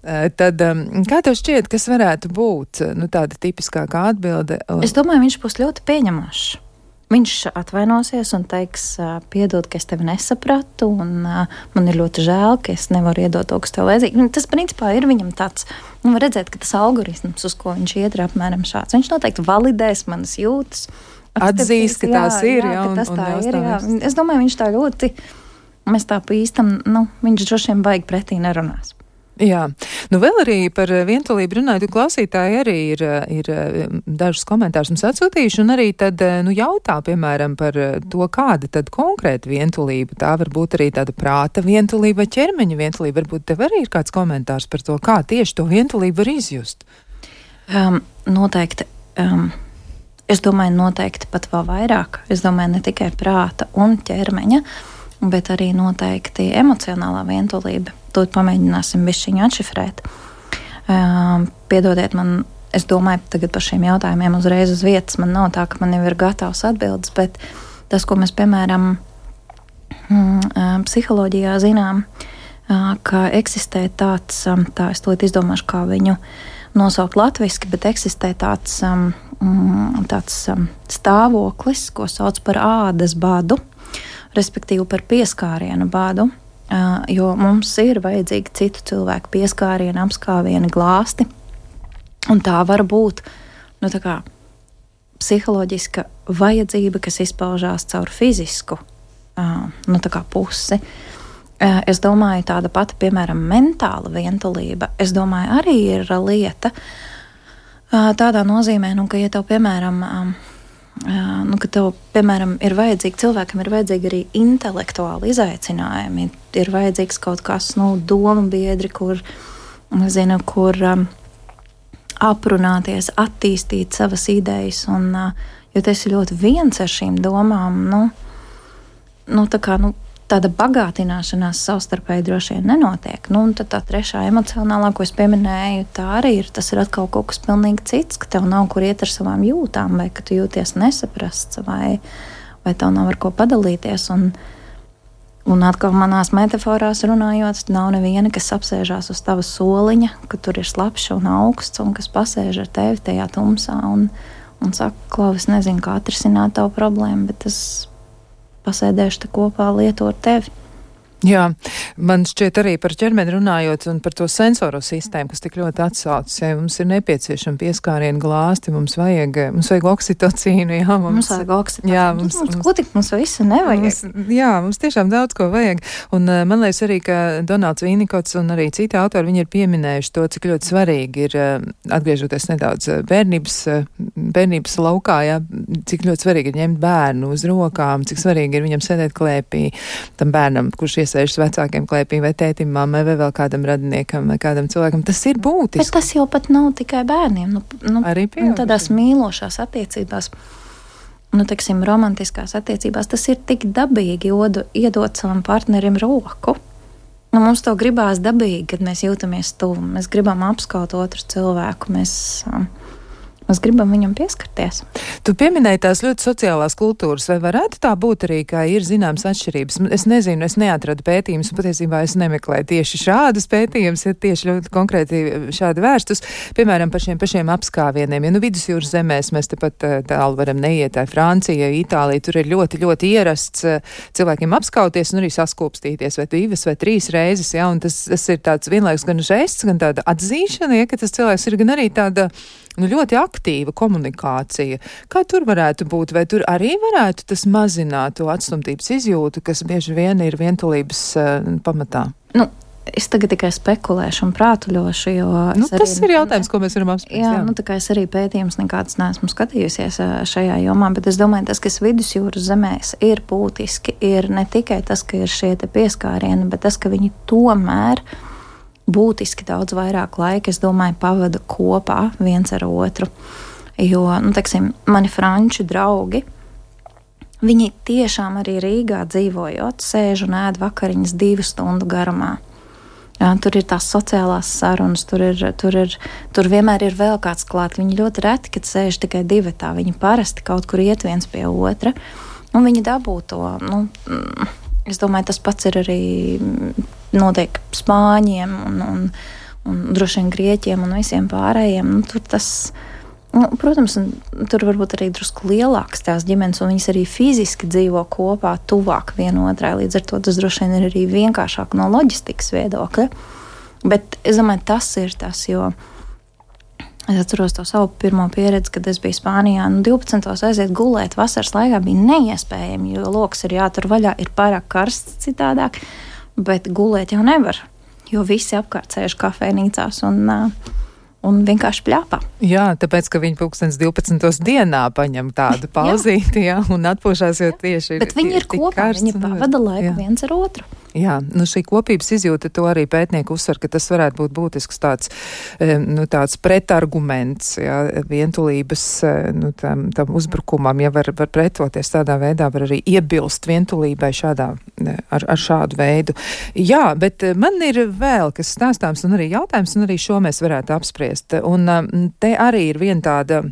Tad, kā tev šķiet, kas varētu būt, nu, tāda tipiskākā atbilde? Es domāju, viņš būs ļoti pieņemošs. Viņš atvainosies un teiks, piedod, ka es tevi nesapratu, un uh, man ir ļoti žēl, ka es nevaru iedot to, kas tev vajadzīgi. Tas, principā, ir viņam tāds, nu, var redzēt, ka tas algoritms, uz ko viņš iet, ir apmēram šāds. Viņš noteikti validēs manas jūtas. Atzīst, ka tās jā, ir, jā, jā, un, tas un tā ir, jā. jāstāvēs. Es domāju, viņš tā ļoti, mēs tā pa īstam, nu, viņš droši vien baigi pretī nerunās. Jā, nu vēl arī par vientulību runājot, un klausītāji arī ir, ir dažus komentārus mums atsūtījuši, un arī tad, nu, jautā, piemēram, par to, kāda tad konkrēta vientulība. Tā var būt arī tāda prāta vientulība vai ķermeņa vientulība. Varbūt tev arī ir kāds komentārs par to, kā tieši to vientulību var izjust. Um, noteikti. Um, es domāju, noteikti pat vēl vairāk. Es domāju, ne tikai prāta un ķermeņa, bet arī noteikti emocionālā vientulība. To pamēģināsim bišķiņu atšifrēt. Uh, piedodiet man, es domāju tagad par šiem jautājumiem uzreiz uz vietas. Man nav tā, ka man jau ir gatavs atbildes, bet tas, ko mēs, piemēram, uh, psiholoģijā zinām, uh, ka eksistē tāds, um, tā es to izdomāšu, kā viņu nosaukt latviski, bet eksistē tāds, um, tāds um, stāvoklis, ko sauc par ādas badu, respektīvi par pieskārienu badu. Uh, jo mums ir vajadzīgi citu cilvēku pieskārieni, apskāvieni, glāsti. Un tā var būt nu, tā kā psiholoģiska vajadzība, kas izpaužās caur fizisku uh, nu, tā kā pusi. Uh, es domāju, tāda pati, piemēram, mentāla vientulība, es domāju, arī ir lieta uh, tādā nozīmē, nu, ka, ja tev, piemēram, um, Uh, nu, ka tev, piemēram, ir vajadzīgi, cilvēkam ir vajadzīgi arī intelektuāli izaicinājumi, ir vajadzīgs kaut kas, nu, domu biedri, kur, nezinu, kur um, aprunāties, attīstīt savas idejas, un, uh, jo tu esi ļoti viens ar šīm domām, nu, nu, tā kā, nu, tāda bagātināšanās savstarpēji droši vien nenotiek. Nu, un tad tā trešā emocionālā, ko es pieminēju, tā arī ir, tas ir atkal kaut kas pilnīgi cits, ka tev nav kur iet ar savām jūtām, vai ka tu jūties nesaprasts, vai, vai tev nav ar ko padalīties. Un, un atkal manās metaforās runājot, nav neviena, kas apsēžās uz tava soliņa, ka tur ir slapjš un augsts, un kas pasēž ar tevi tajā tumsā un, un saka, Klau, es nezinu, kā atrisināt tavu problēmu, bet es pasēdēšu te kopā lietu ar tevi. Jā, man šķiet arī par ķermeni runājot un par to sensoru sistēmu, kas tik ļoti atsaucas, ja mums ir nepieciešama pieskārienu glāsti, mums vajag, mums vajag oksitocīnu, jā, mums, mums vajag oksitocīnu, jā, mums, mums, mums, ko tik mums visu nevajag. Mums, jā, mums tiešām daudz ko vajag, un man liekas arī, ka Donalds Vīnikots un arī citi autori, viņi ir pieminējuši to, cik ļoti svarīgi ir, atgriežoties nedaudz bērnības, bērnības laukā, jā, cik ļoti svarīgi ir ņemt bērnu uz rokām, cik svarīgi ir viņam sēdēt klēpī, tam bērnam, kurš iesēžas vecākiem klēpī, vai tētim, mammai, vai vēl kādam radiniekam, vai kādam cilvēkam. Tas ir būtiski. Bet tas jau pat nav tikai bērniem. Nu, nu, arī pieaugušiem. Nu, tādās mīlošās attiecībās, nu, teiksim, romantiskās attiecībās, tas ir tik dabīgi odu, iedot savam partnerim roku. Nu, mums to gribās dabīgi, kad mēs jūtamies tuvu. Mēs gribam apskaut otru cilvēku. Mēs um, mēs gribam viņam pieskarties. Tu pieminēji tās ļoti sociālās kultūras, vai varētu tā būt arī, kā ir zināmas atšķirības? Es nezinu, es neatradu pētījumus, un patiesībā es nemeklēju tieši šādus pētījumus, ja tieši ļoti konkrēti šādi vērstus, piemēram, par šiem pašiem apskāvieniem. Ja nu vidusjūras zemēs mēs tepat tālu varam neiet, tā Francija, Itālija, tur ir ļoti, ļoti ierasts cilvēkiem apskauties un arī saskopstīties, vai divas vai trīs reizes, ja, un tas, tas ir tāds vienlaikus gan žests, gan tāda atzīšana, ja, ka tas cilvēks ir gan arī tāda nu, ļoti aktīva komunikācija. Kā tur varētu būt? Vai tur arī varētu tas mazināt to atstumtības izjūtu, kas bieži vien ir vientulības uh, pamatā? Nu, es tagad tikai spekulēšu un prātuļošu, jo... Nu, tas arī, ir jautājums, ko mēs varam apspriest. Jā, jā, nu tā kā es arī pētījums nekāds neesmu skatījusies šajā jomā, bet es domāju, tas, kas vidusjūras zemēs ir būtiski, ir ne tikai tas, ka ir šie te pieskārieni, bet tas, ka viņi tomēr būtiski daudz vairāk laika, es domāju, pavada kopā viens ar otru. Jo, nu, teiksim, mani franču draugi, viņi tiešām arī Rīgā dzīvojot, sēž un ēd vakariņas divu stundu garumā. Jā, tur ir tās sociālās sarunas, tur, ir, tur, ir, tur vienmēr ir vēl kāds klāt. Viņi ļoti reti, kad sēž tikai divatā. Viņi parasti kaut kur iet viens pie otra, un viņi dabū to, nu, es domāju, tas pats ir arī notiek spāņiem un, un, un droši vien grieķiem un visiem pārējiem. Nu, tur tas, nu, protams, tur varbūt arī drusku lielāks tās ģimenes, un viņas arī fiziski dzīvo kopā, tuvāk vienotrai. Līdz ar to tas droši vien ir arī vienkāršāk no loģistikas viedokļa. Bet es domāju, tas ir tas, jo es atceros to savu pirmo pieredzi, kad es biju Spānijā. Nu, divpadsmitos aiziet gulēt vasaras laikā bija neiespējami, jo loks ir jātur vaļā, ir pārāk karsts citādāk, bet gulēt jau nevar, jo visi apkārt sēž kafejnīcās un, un vienkārši pļāpā. Jā, tāpēc, ka viņi pulkstens divpadsmitos dienā paņem tādu pauzīti, jā, un atpūšās, jo tieši ir. Bet viņi ir kopā, karsts, viņi pavada laiku jā. Viens ar otru. Jā, nu šī kopības izjūta, to arī pētnieki uzsver, ka tas varētu būt būtisks tāds, nu, tāds pretarguments, jā, vientulības, nu, tam, tam uzbrukumam, ja var, var pretoties tādā veidā, var arī iebilst vientulībai šādā, ar, ar šādu veidu. Jā, bet man ir vēl kas stāstāms un arī jautājums, un arī šo mēs varētu apspriest. Un te arī ir viena tāda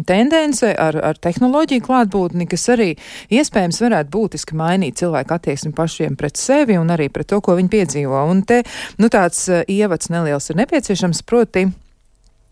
tendence ar, ar tehnoloģiju klātbūtni, kas arī iespējams varētu būtiski mainīt cilvēku attieksmi pašiem pret sevi un arī pret to, ko viņi piedzīvo. Un te, nu, tāds uh, ievads neliels ir nepieciešams, proti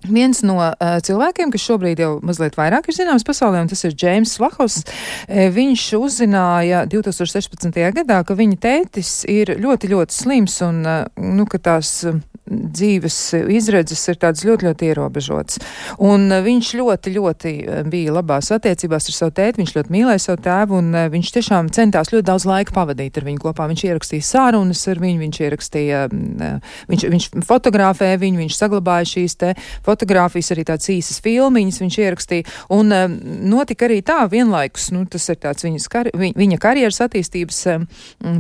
viens no uh, cilvēkiem, kas šobrīd jau mazliet vairāk ir zināms pasaulē, un tas ir Džeims Lahos. E, viņš uzzināja divtūkstoš sešpadsmitajā gadā, ka viņa tētis ir ļoti, ļoti slims un, uh, nu, ka tās uh, dzīves izredzes ir tādas ļoti, ļoti ierobežotas. Un uh, viņš ļoti, ļoti bija labās attiecībās ar savu tēti, viņš ļoti mīlēja savu tēvu, un uh, viņš tiešām centās ļoti daudz laika pavadīt ar viņu kopā. Viņš ierakstīja sārunas ar viņu, viņš ierakstīja, uh, viņš, viņš fotografēja viņu, viņš saglabāja šīs te fotogrāfijas, arī tādas īsas filmiņas viņš ierakstīja, un um, notika arī tā vienlaikus, nu, tas ir tāds viņas kar, viņ, viņa karjeras attīstības um,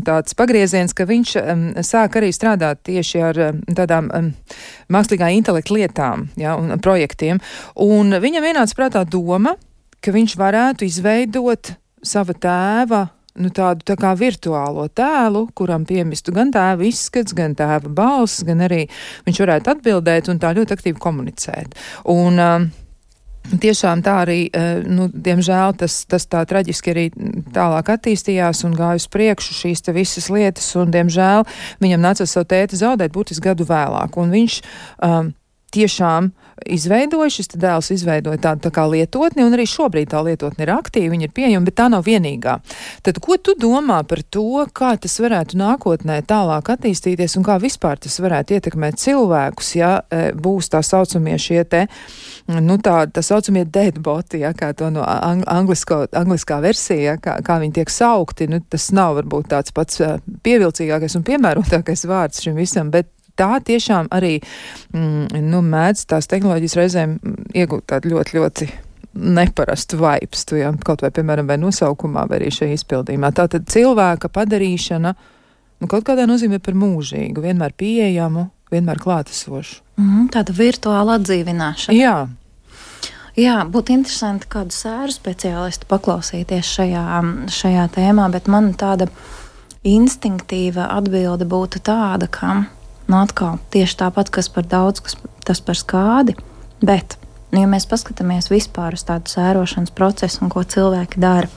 tāds pagrieziens, ka viņš um, sāk arī strādāt tieši ar um, tādām um, mākslīgā intelekta lietām, ja, un projektiem, un viņam ienāca prātā doma, ka viņš varētu izveidot sava tēva nu, tādu tā kā virtuālo tēlu, kuram piemistu gan tēva izskats, gan tēva balss, gan arī viņš varētu atbildēt un tā ļoti aktīvi komunicēt. Un um, tiešām tā arī, uh, nu, diemžēl tas, tas tā traģiski arī tālāk attīstījās un gāja uz priekšu šīs te visas lietas, un diemžēl viņam nācās savu tēti zaudēt būtiski gadu vēlāk. Un viņš um, tiešām izveidoja, šis dēls izveidoja tādu tā kā lietotni, un arī šobrīd tā lietotne ir aktīva, viņa ir pieejama, bet tā nav vienīgā. Tad, ko tu domā par to, kā tas varētu nākotnē tālāk attīstīties, un kā vispār tas varētu ietekmēt cilvēkus, ja būs tā saucamie šie te, nu tā, tā saucamie deadboti, ja, kā to no ang anglisko, angliskā versija, ja, kā, kā viņi tiek saukti, nu tas nav varbūt tāds pats pievilcīgākais un piemērotākais vārds šim visam, bet tā tiešām arī, mm, nu, mēdz tās tehnoloģijas reizēm iegūt tādu ļoti, ļoti neparastu vaipstu, ja, kaut vai, piemēram, vai nosaukumā, vai arī šajā izpildījumā. Tātad cilvēka padarīšana, nu, kaut kādā nozīmē par mūžīgu, vienmēr pieejamu, vienmēr klātesošu. Mm, tāda virtuāla atdzīvināšana. Jā. Jā, būtu interesanti kādu sēru speciālistu paklausīties šajā, šajā tēmā, bet man tāda instinktīva atbilde būtu tāda, ka nu, atkal tieši tāpat, kas par daudz, kas tas par skādi, bet Nu, ja mēs paskatāmies vispār uz tādu sērošanas procesu un ko cilvēki dara,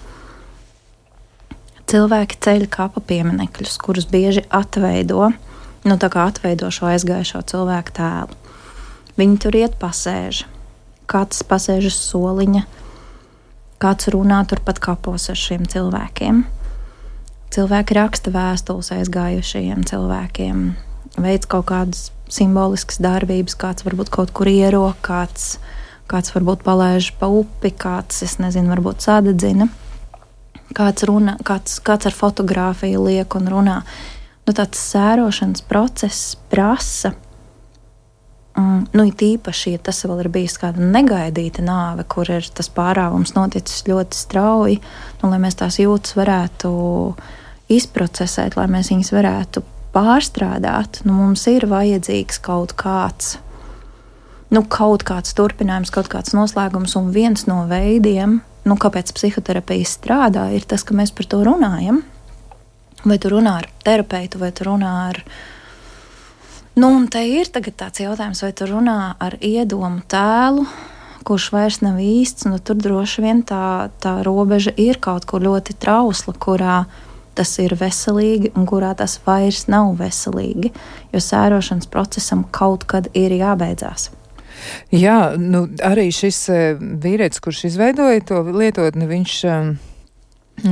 cilvēki ceļ kapa pieminekļus, kurus bieži atveido, nu tā kā atveido šo aizgājušo cilvēku tēlu. Viņi tur iet pasēž, kāds pasēž uz soliņa, kāds runā turpat kapos ar šiem cilvēkiem. Cilvēki raksta vēstules aizgājušajiem cilvēkiem, veids kaut kādas simboliskas darbības, kāds varbūt kaut kur ierok, kāds, kāds varbūt palaiž pa upi, kāds, es nezinu, varbūt sadedzina, kāds, runā, kāds, kāds ar fotogrāfiju liek un runā. Nu, tāds sērošanas process prasa, mm, nu, it īpaši, ja tas vēl ir bijis kāda negaidīta nāve, kur ir tas pārāvums noticis ļoti strauji, nu, lai mēs tās jūtas varētu izprocesēt, lai mēs viņas varētu pārstrādāt, nu, mums ir vajadzīgs kaut kāds, nu, kaut kāds turpinājums, kaut kāds noslēgums, un viens no veidiem, nu, kāpēc psihoterapija strādā, ir tas, ka mēs par to runājam. Vai tu runā ar terapeitu, vai tu runā ar... Nu, un te ir tagad tāds jautājums, vai tu runā ar iedomu tēlu, kurš vairs nav īsts, nu, tur droši vien tā, tā robeža ir kaut kur ļoti trausla, kurā tas ir veselīgi un kurā tas vairs nav veselīgi, jo sērošanas procesam kaut kad ir jābeidzās. Jā, nu arī šis vīrietis, kurš izveidoja to lietotni, viņš,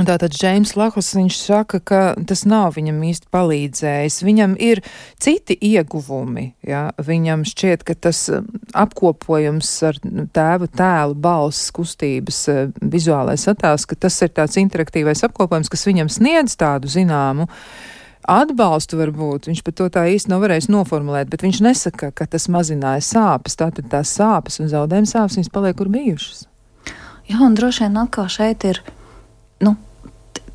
tātad Džeims Lahos, viņš saka, ka tas nav viņam īsti palīdzējis. Viņam ir citi ieguvumi, jā. Viņam šķiet, ka tas apkopojums ar tēvu tēlu, balss, kustības, vizuālais attēls, ka tas ir tāds interaktīvais apkopojums, kas viņam sniedz tādu zināmu atbalstu varbūt. Viņš pat to tā īsti nav varējis noformulēt, bet viņš nesaka, ka tas mazināja sāpes. Tātad tās sāpes un zaudējuma sāpes, viņas paliek kur bijušas. Jā, un droši vien atkal šeit ir, nu,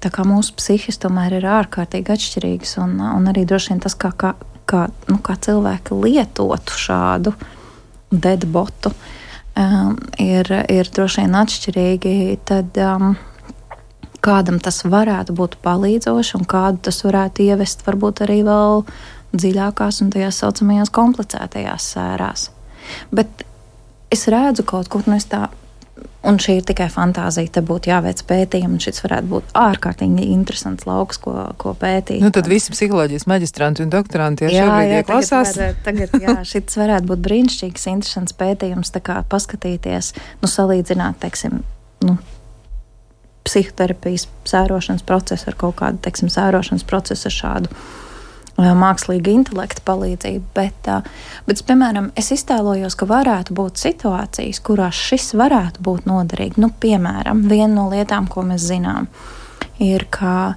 tā kā mūsu psihis tomēr ir ārkārtīgi atšķirīgs, un, un arī droši vien tas, kā, kā, kā, nu, kā cilvēki lietotu šādu deadbotu, um, ir, ir droši vien atšķirīgi, tad um, kādam tas varētu būt palīdzoši, un kādu tas varētu ievest varbūt arī vēl dziļākās un tajās saucamajās komplicētajās sērās. Bet es redzu kaut kur, nu es tā, un šī ir tikai fantāzija, te būtu jāveic pētījumi, un šis varētu būt ārkārtīgi interesants lauks, ko, ko pētīt. Nu tad visi psiholoģijas maģistranti un doktoranti, ja šobrīd ieklasās. Jā, tagad, tagad, jā, šis varētu būt brīnišķīgs, interesants pētījums, tā kā paskatīties, nu salīdzināt, teiksim, nu, psihoterapijas sērošanas procesu ar kaut kādu, teiksim, sērošanas procesu ar šādu uh, mākslīgu intelektu palīdzību, bet, uh, bet, piemēram, es iztēlojos, ka varētu būt situācijas, kurās šis varētu būt noderīgi. Nu, piemēram, viena no lietām, ko mēs zinām, ir, ka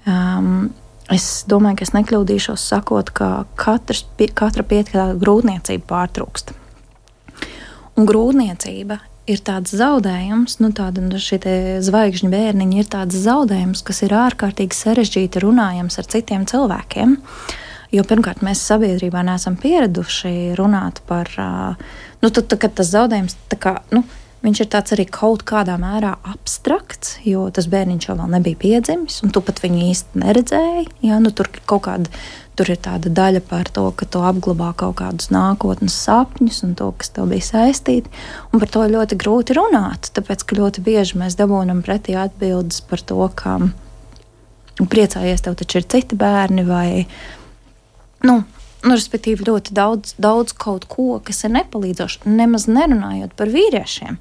um, es domāju, ka es nekļūdīšos sakot, ka katrs, pie, katra piekļāva grūtniecība pārtrūkst. Un grūtniecība ir tāds zaudējums, nu tāda nu šie zvaigžņu bērniņi ir tāds zaudējums, kas ir ārkārtīgi sarežģīti runājams ar citiem cilvēkiem, jo pirmkārt mēs sabiedrībā neesam pieraduši runāt par, nu tad, kad tas zaudējums, tā kā, nu, viņš ir tāds arī kaut kādā mērā abstrakts, jo tas bērniņš jau vēl nebija piedzimis, un tu pat viņu īsti neredzēji, jā, nu tur kaut kāda, tur ir tāda daļa par to, ka tu apglabā kaut kādus nākotnes sapņus un to, kas tev bija saistīti, un par to ļoti grūti runāt, tāpēc, ka ļoti bieži mēs dabūnam pretī atbildes par to, ka priecājies, tev taču ir citi bērni, vai, nu, nu respektīvi ļoti daudz, daudz kaut ko, kas ir nepalīdzoši, nemaz nerunājot par vīriešiem,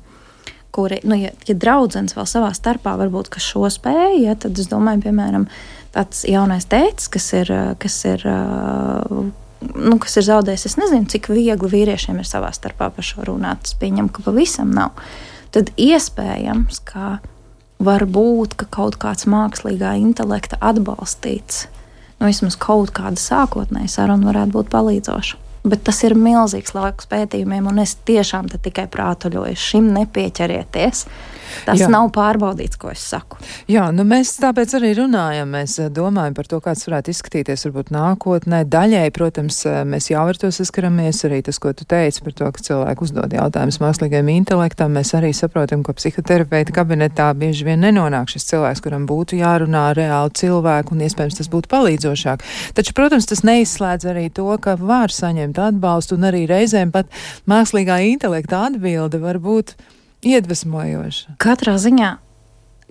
kuri, nu, ja, ja draudzenes vēl savā starpā varbūt, kas šo spēja, ja, tad es domāju, piemēram, tāds jaunais tētis, kas ir, kas ir, nu, kas ir zaudējis, es nezinu, cik viegli vīriešiem ir savā starpā par šo runāt, es pieņemu, ka pavisam nav, tad iespējams, ka var būt, ka kaut kāds mākslīgā intelekta atbalstīts, nu, vismaz kaut kāda sākotnēja saruna varētu būt palīdzoša. Bet tas ir milzīgs lauks pētījumiem, un es tiešām te tikai prātuļoju, šim nepieķerieties. Tas Jā. nav pārbaudīts, ko es saku. Jā, nu mēs tāpēc arī runājam, mēs domājam par to, kāds varētu izskatīties varbūt nākotnē. Daļai, protams, mēs jau ar to saskaramies, arī tas, ko tu teici par to, ka cilvēki uzdod jautājumus mākslīgajam intelektam. Mēs arī saprotam, ka psihoterapeita kabinetā bieži vien nenonāk šis cilvēks, kuram būtu jārunā reāli cilvēku un iespējams tas būtu palīdzošāk. Taču, protams, tas neizslēdz arī to, ka var saņemt atbalstu un arī reizēm pat mākslīgā intelekta atbilde var būt iedvesmojoša. Katrā ziņā,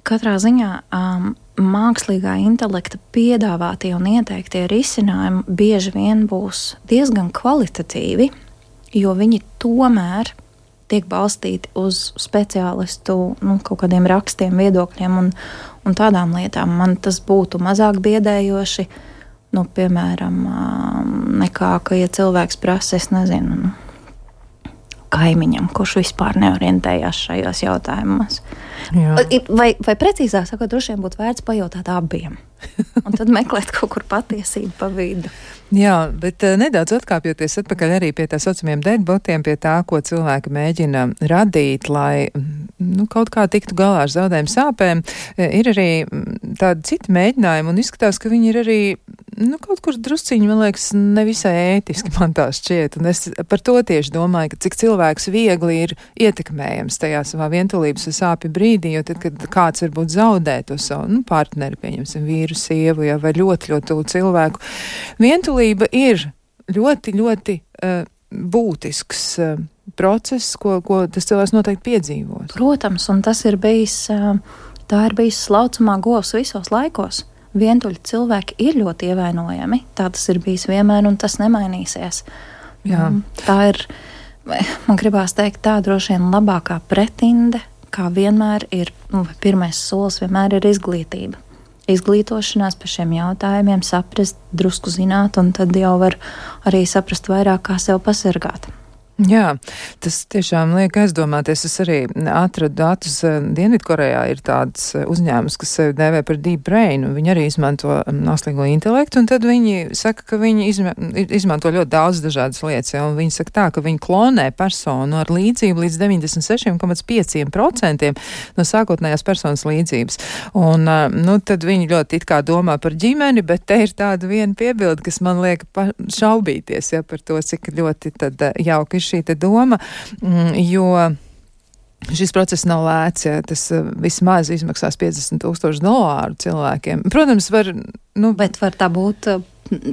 katrā ziņā um, mākslīgā intelekta piedāvātie un ieteiktie risinājumi bieži vien būs diezgan kvalitatīvi, jo viņi tomēr tiek balstīti uz speciālistu nu, kaut kādiem rakstiem, viedokļiem un, un tādām lietām. Man tas būtu mazāk biedējoši, nu, piemēram, nekā, ka, ja cilvēks prasa, es nezinu, nu, kaimiņam, kurš vispār neorientējās šajos jautājumos. Jā. Vai, vai precīzāk sakot, droši vien būtu vērts pajautāt abiem. Un tad meklēt kaut kur patiesību pa vidu. Jā, bet uh, nedaudz atkāpjoties atpakaļ arī pie tā saucamiem deadbotiem, pie tā, ko cilvēki mēģina radīt, lai nu, kaut kā tiktu galā ar zaudējumu sāpēm, ir arī tādi citi mēģinājumi un izskatās, ka viņi ir arī nu, kaut kur drusciņi, man liekas, nevisai ētiski man tā šķiet. Un es par to tieši domāju, ka cik cilvēks viegli ir ietekmējams tajā savā vientulības sāpju brīdī, jo tad, kad kāds varbūt zaudē to savu nu, partneri, pieņemsim vīru, sievu, ja, vai ļoti, ļoti tuvu cilvēku. Vientulība ir ļoti, ļoti uh, būtisks uh, process, ko, ko tas cilvēks noteikti piedzīvos. Protams, un tas ir bijis, uh, tā ir bijis slaucamā govs visos laikos. Vientuļi cilvēki ir ļoti ievainojami. Tā tas ir bijis vienmēr, un tas nemainīsies. Jā. Tā ir, man gribās teikt, tā droši vien labākā pretinde, kā vienmēr ir, nu, pirmais solis vienmēr ir izglītība. Izglītošanās par šiem jautājumiem, saprast, drusku zināt, un tad jau var arī saprast vairāk, kā sev pasargāt. Jā, tas tiešām liek aizdomāties. Es arī atradu datus. Dienvidkorejā ir tāds uzņēmums, kas sevi dēvē par Deep Brain, un viņi arī izmanto mākslīgo intelektu, un tad viņi saka, ka viņi izma izmanto ļoti daudz dažādas lietas, ja, un viņi saka tā, ka viņi klonē personu ar līdzību līdz deviņdesmit seši komats pieci procenti no sākotnējās personas līdzības. Un, nu, tad viņi ļoti it kā domā par ģimeni, bet te ir tāda viena piebilde, kas man liek šaubīties, ja, par to, cik ļoti tad jauki šī te doma, jo šis process nav lēts, ja tas vismaz izmaksās piecdesmit tūkstoši dolāru cilvēkiem. Protams, var, nu, bet var tā būt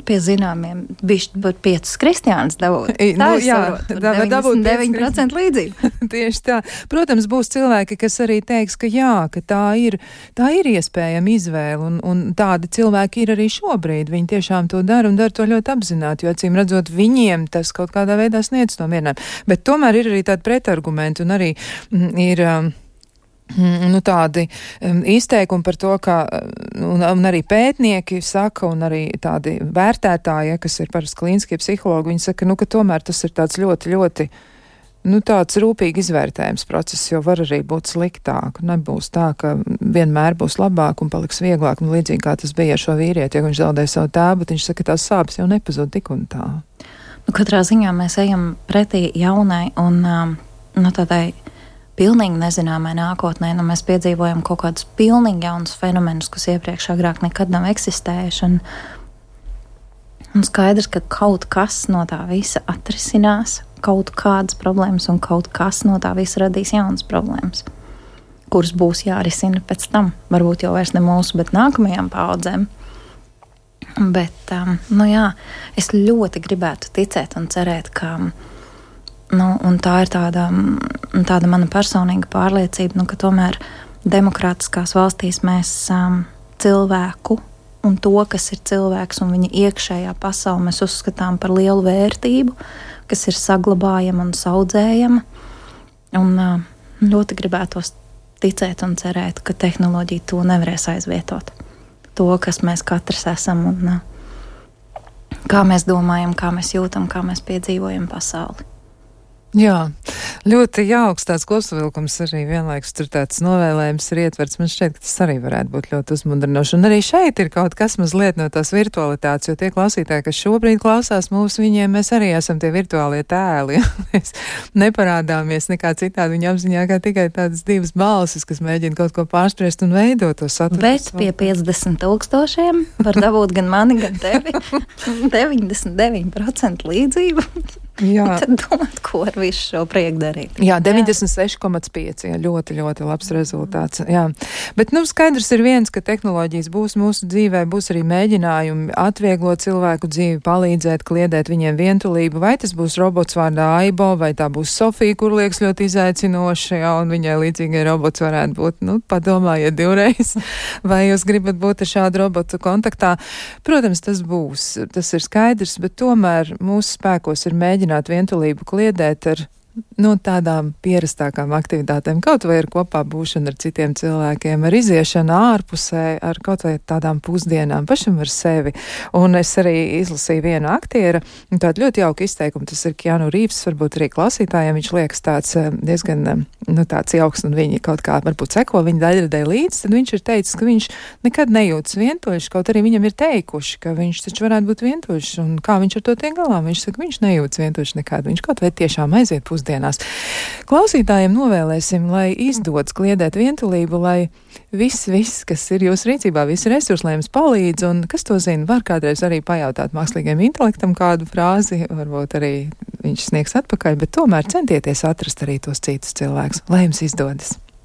pie zināmiem, bišķi par piecus kristiānus dabūt. Tā nu, jā, deviņdesmit deviņi procenti līdzība. Tieši tā. Protams, būs cilvēki, kas arī teiks, ka jā, ka tā ir, tā ir iespējama izvēle, un, un tādi cilvēki ir arī šobrīd. Viņi tiešām to dara un dara to ļoti apzināti, jo acīm redzot, viņiem tas kaut kādā veidā sniedz to mierinājumu. Bet tomēr ir arī tādi pretargumenti un arī mm, ir... Um, Nu, tādi um, izteikumi par to, ka un, un arī pētnieki saka, un arī tādi vērtētāji, ja, kas ir parasti klīniskie psihologi, viņi saka, nu, ka tomēr tas ir tāds ļoti, ļoti, nu, tāds rūpīgi izvērtējums process, jo var arī būt sliktāk. Nebūs tā, ka vienmēr būs labāk un paliks vieglāk, un līdzīgi kā tas bija ar šo vīrieti, ja viņš zaudēja savu tēvu, bet viņš saka, ka tās sāpes jau nepazūd tik un tā. Nu, katrā ziņā mēs ejam pretī jaunai un um, nu, tādai pilnīgi nezināmai nākotnē, nu mēs piedzīvojam kaut kādus pilnīgi jaunus fenomenus, kas iepriekš agrāk nekad nav eksistējuši, un, un skaidrs, ka kaut kas no tā visa atrisinās, kaut kādas problēmas, un kaut kas no tā visa radīs jaunas problēmas, kuras būs jārisina pēc tam, varbūt jau vairs ne mūsu, bet nākamajām paudzēm. Bet, um, nu jā, es ļoti gribētu ticēt un cerēt, ka Nu, un tā ir tāda, tāda mana personīga pārliecība, nu, ka tomēr demokrātiskās valstīs mēs um, cilvēku un to, kas ir cilvēks un viņa iekšējā pasaule, mēs uzskatām par lielu vērtību, kas ir saglabājama un saudzējama. Un uh, ļoti gribētos ticēt un cerēt, ka tehnoloģija to nevarēs aizvietot. To, kas mēs katrs esam un uh, kā mēs domājam, kā mēs jūtam, kā mēs piedzīvojam pasauli. Jā, ļoti jauks tāds kopsavilkums arī vienlaikus tur tāds novēlējums ir ietverts. Man šķiet, ka tas arī varētu būt ļoti uzmundrinoši. Un arī šeit ir kaut kas mazliet no tās virtualitātes, jo tie klausītāji, kas šobrīd klausās mūsu, viņiem mēs arī esam tie virtuālie tēli. Mēs neparādāmies nekā citādi viņa apziņā, kā tikai tādas divas balsis, kas mēģina kaut ko pārspriest un veidot to saturu. Bet pie piecdesmit tūkstošiem var dabūt gan mani, gan tevi. deviņdesmit deviņi procenti līdzību. Jā. Tad domāt, ko ar visu šo prieku darīt. Jā, deviņdesmit seši komats pieci, jā, ļoti, ļoti labs rezultāts. Jā. Bet, nu, skaidrs ir viens, ka tehnoloģijas būs mūsu dzīvē, būs arī mēģinājumi atvieglot cilvēku dzīvi, palīdzēt, kliedēt viņiem vientulību, vai tas būs robots vārdā Aibo, vai tā būs Sofija, kur liekas ļoti izaicinoša, jā, un viņai līdzīgai robots varētu būt, nu, padomājiet divreiz, vai jūs gribat būt ar šādu robotu kontaktā. Protams, tas būs, tas ir skaidrs, bet tomēr mūsu spēkos ir mēģināt vientulību kliedēt ar no tādām pierastākām aktivitātēm, kaut vai ar kopā būšanu ar citiem cilvēkiem, ar iziešanu ārpusē, ar kaut vai tādām pusdienām pašam ar sevi. Un es arī izlasīju vienu aktiera, un tādu ļoti jauku izteikumu, tas ir Keanu Reeves, varbūt arī klausītājiem, viņš liekas tāds diezgan, nu, tāds jauks, un viņi kaut kā varbūt seko viņa daļradē līdz, tad viņš ir teicis, ka viņš nekad nejūtas vientuļš, kaut arī viņam ir teikuši, ka viņš taču varētu būt vientuļš, un kā viņš ar to tiek galā, viņš saka, viņš nejūtas vientuļš nekad, viņš kaut vai tiešām aiziet pusdienā. Dienās. Klausītājiem novēlēsim, lai izdodas kliedēt vientulību, lai viss, viss, kas ir jūsu rīcībā, visi resursi, lai jums palīdz, un kas to zina, var kādreiz arī pajautāt mākslīgiem intelektam kādu frāzi, varbūt arī viņš sniegs atpakaļ, bet tomēr centieties atrast arī tos citus cilvēkus, lai jums izdodas.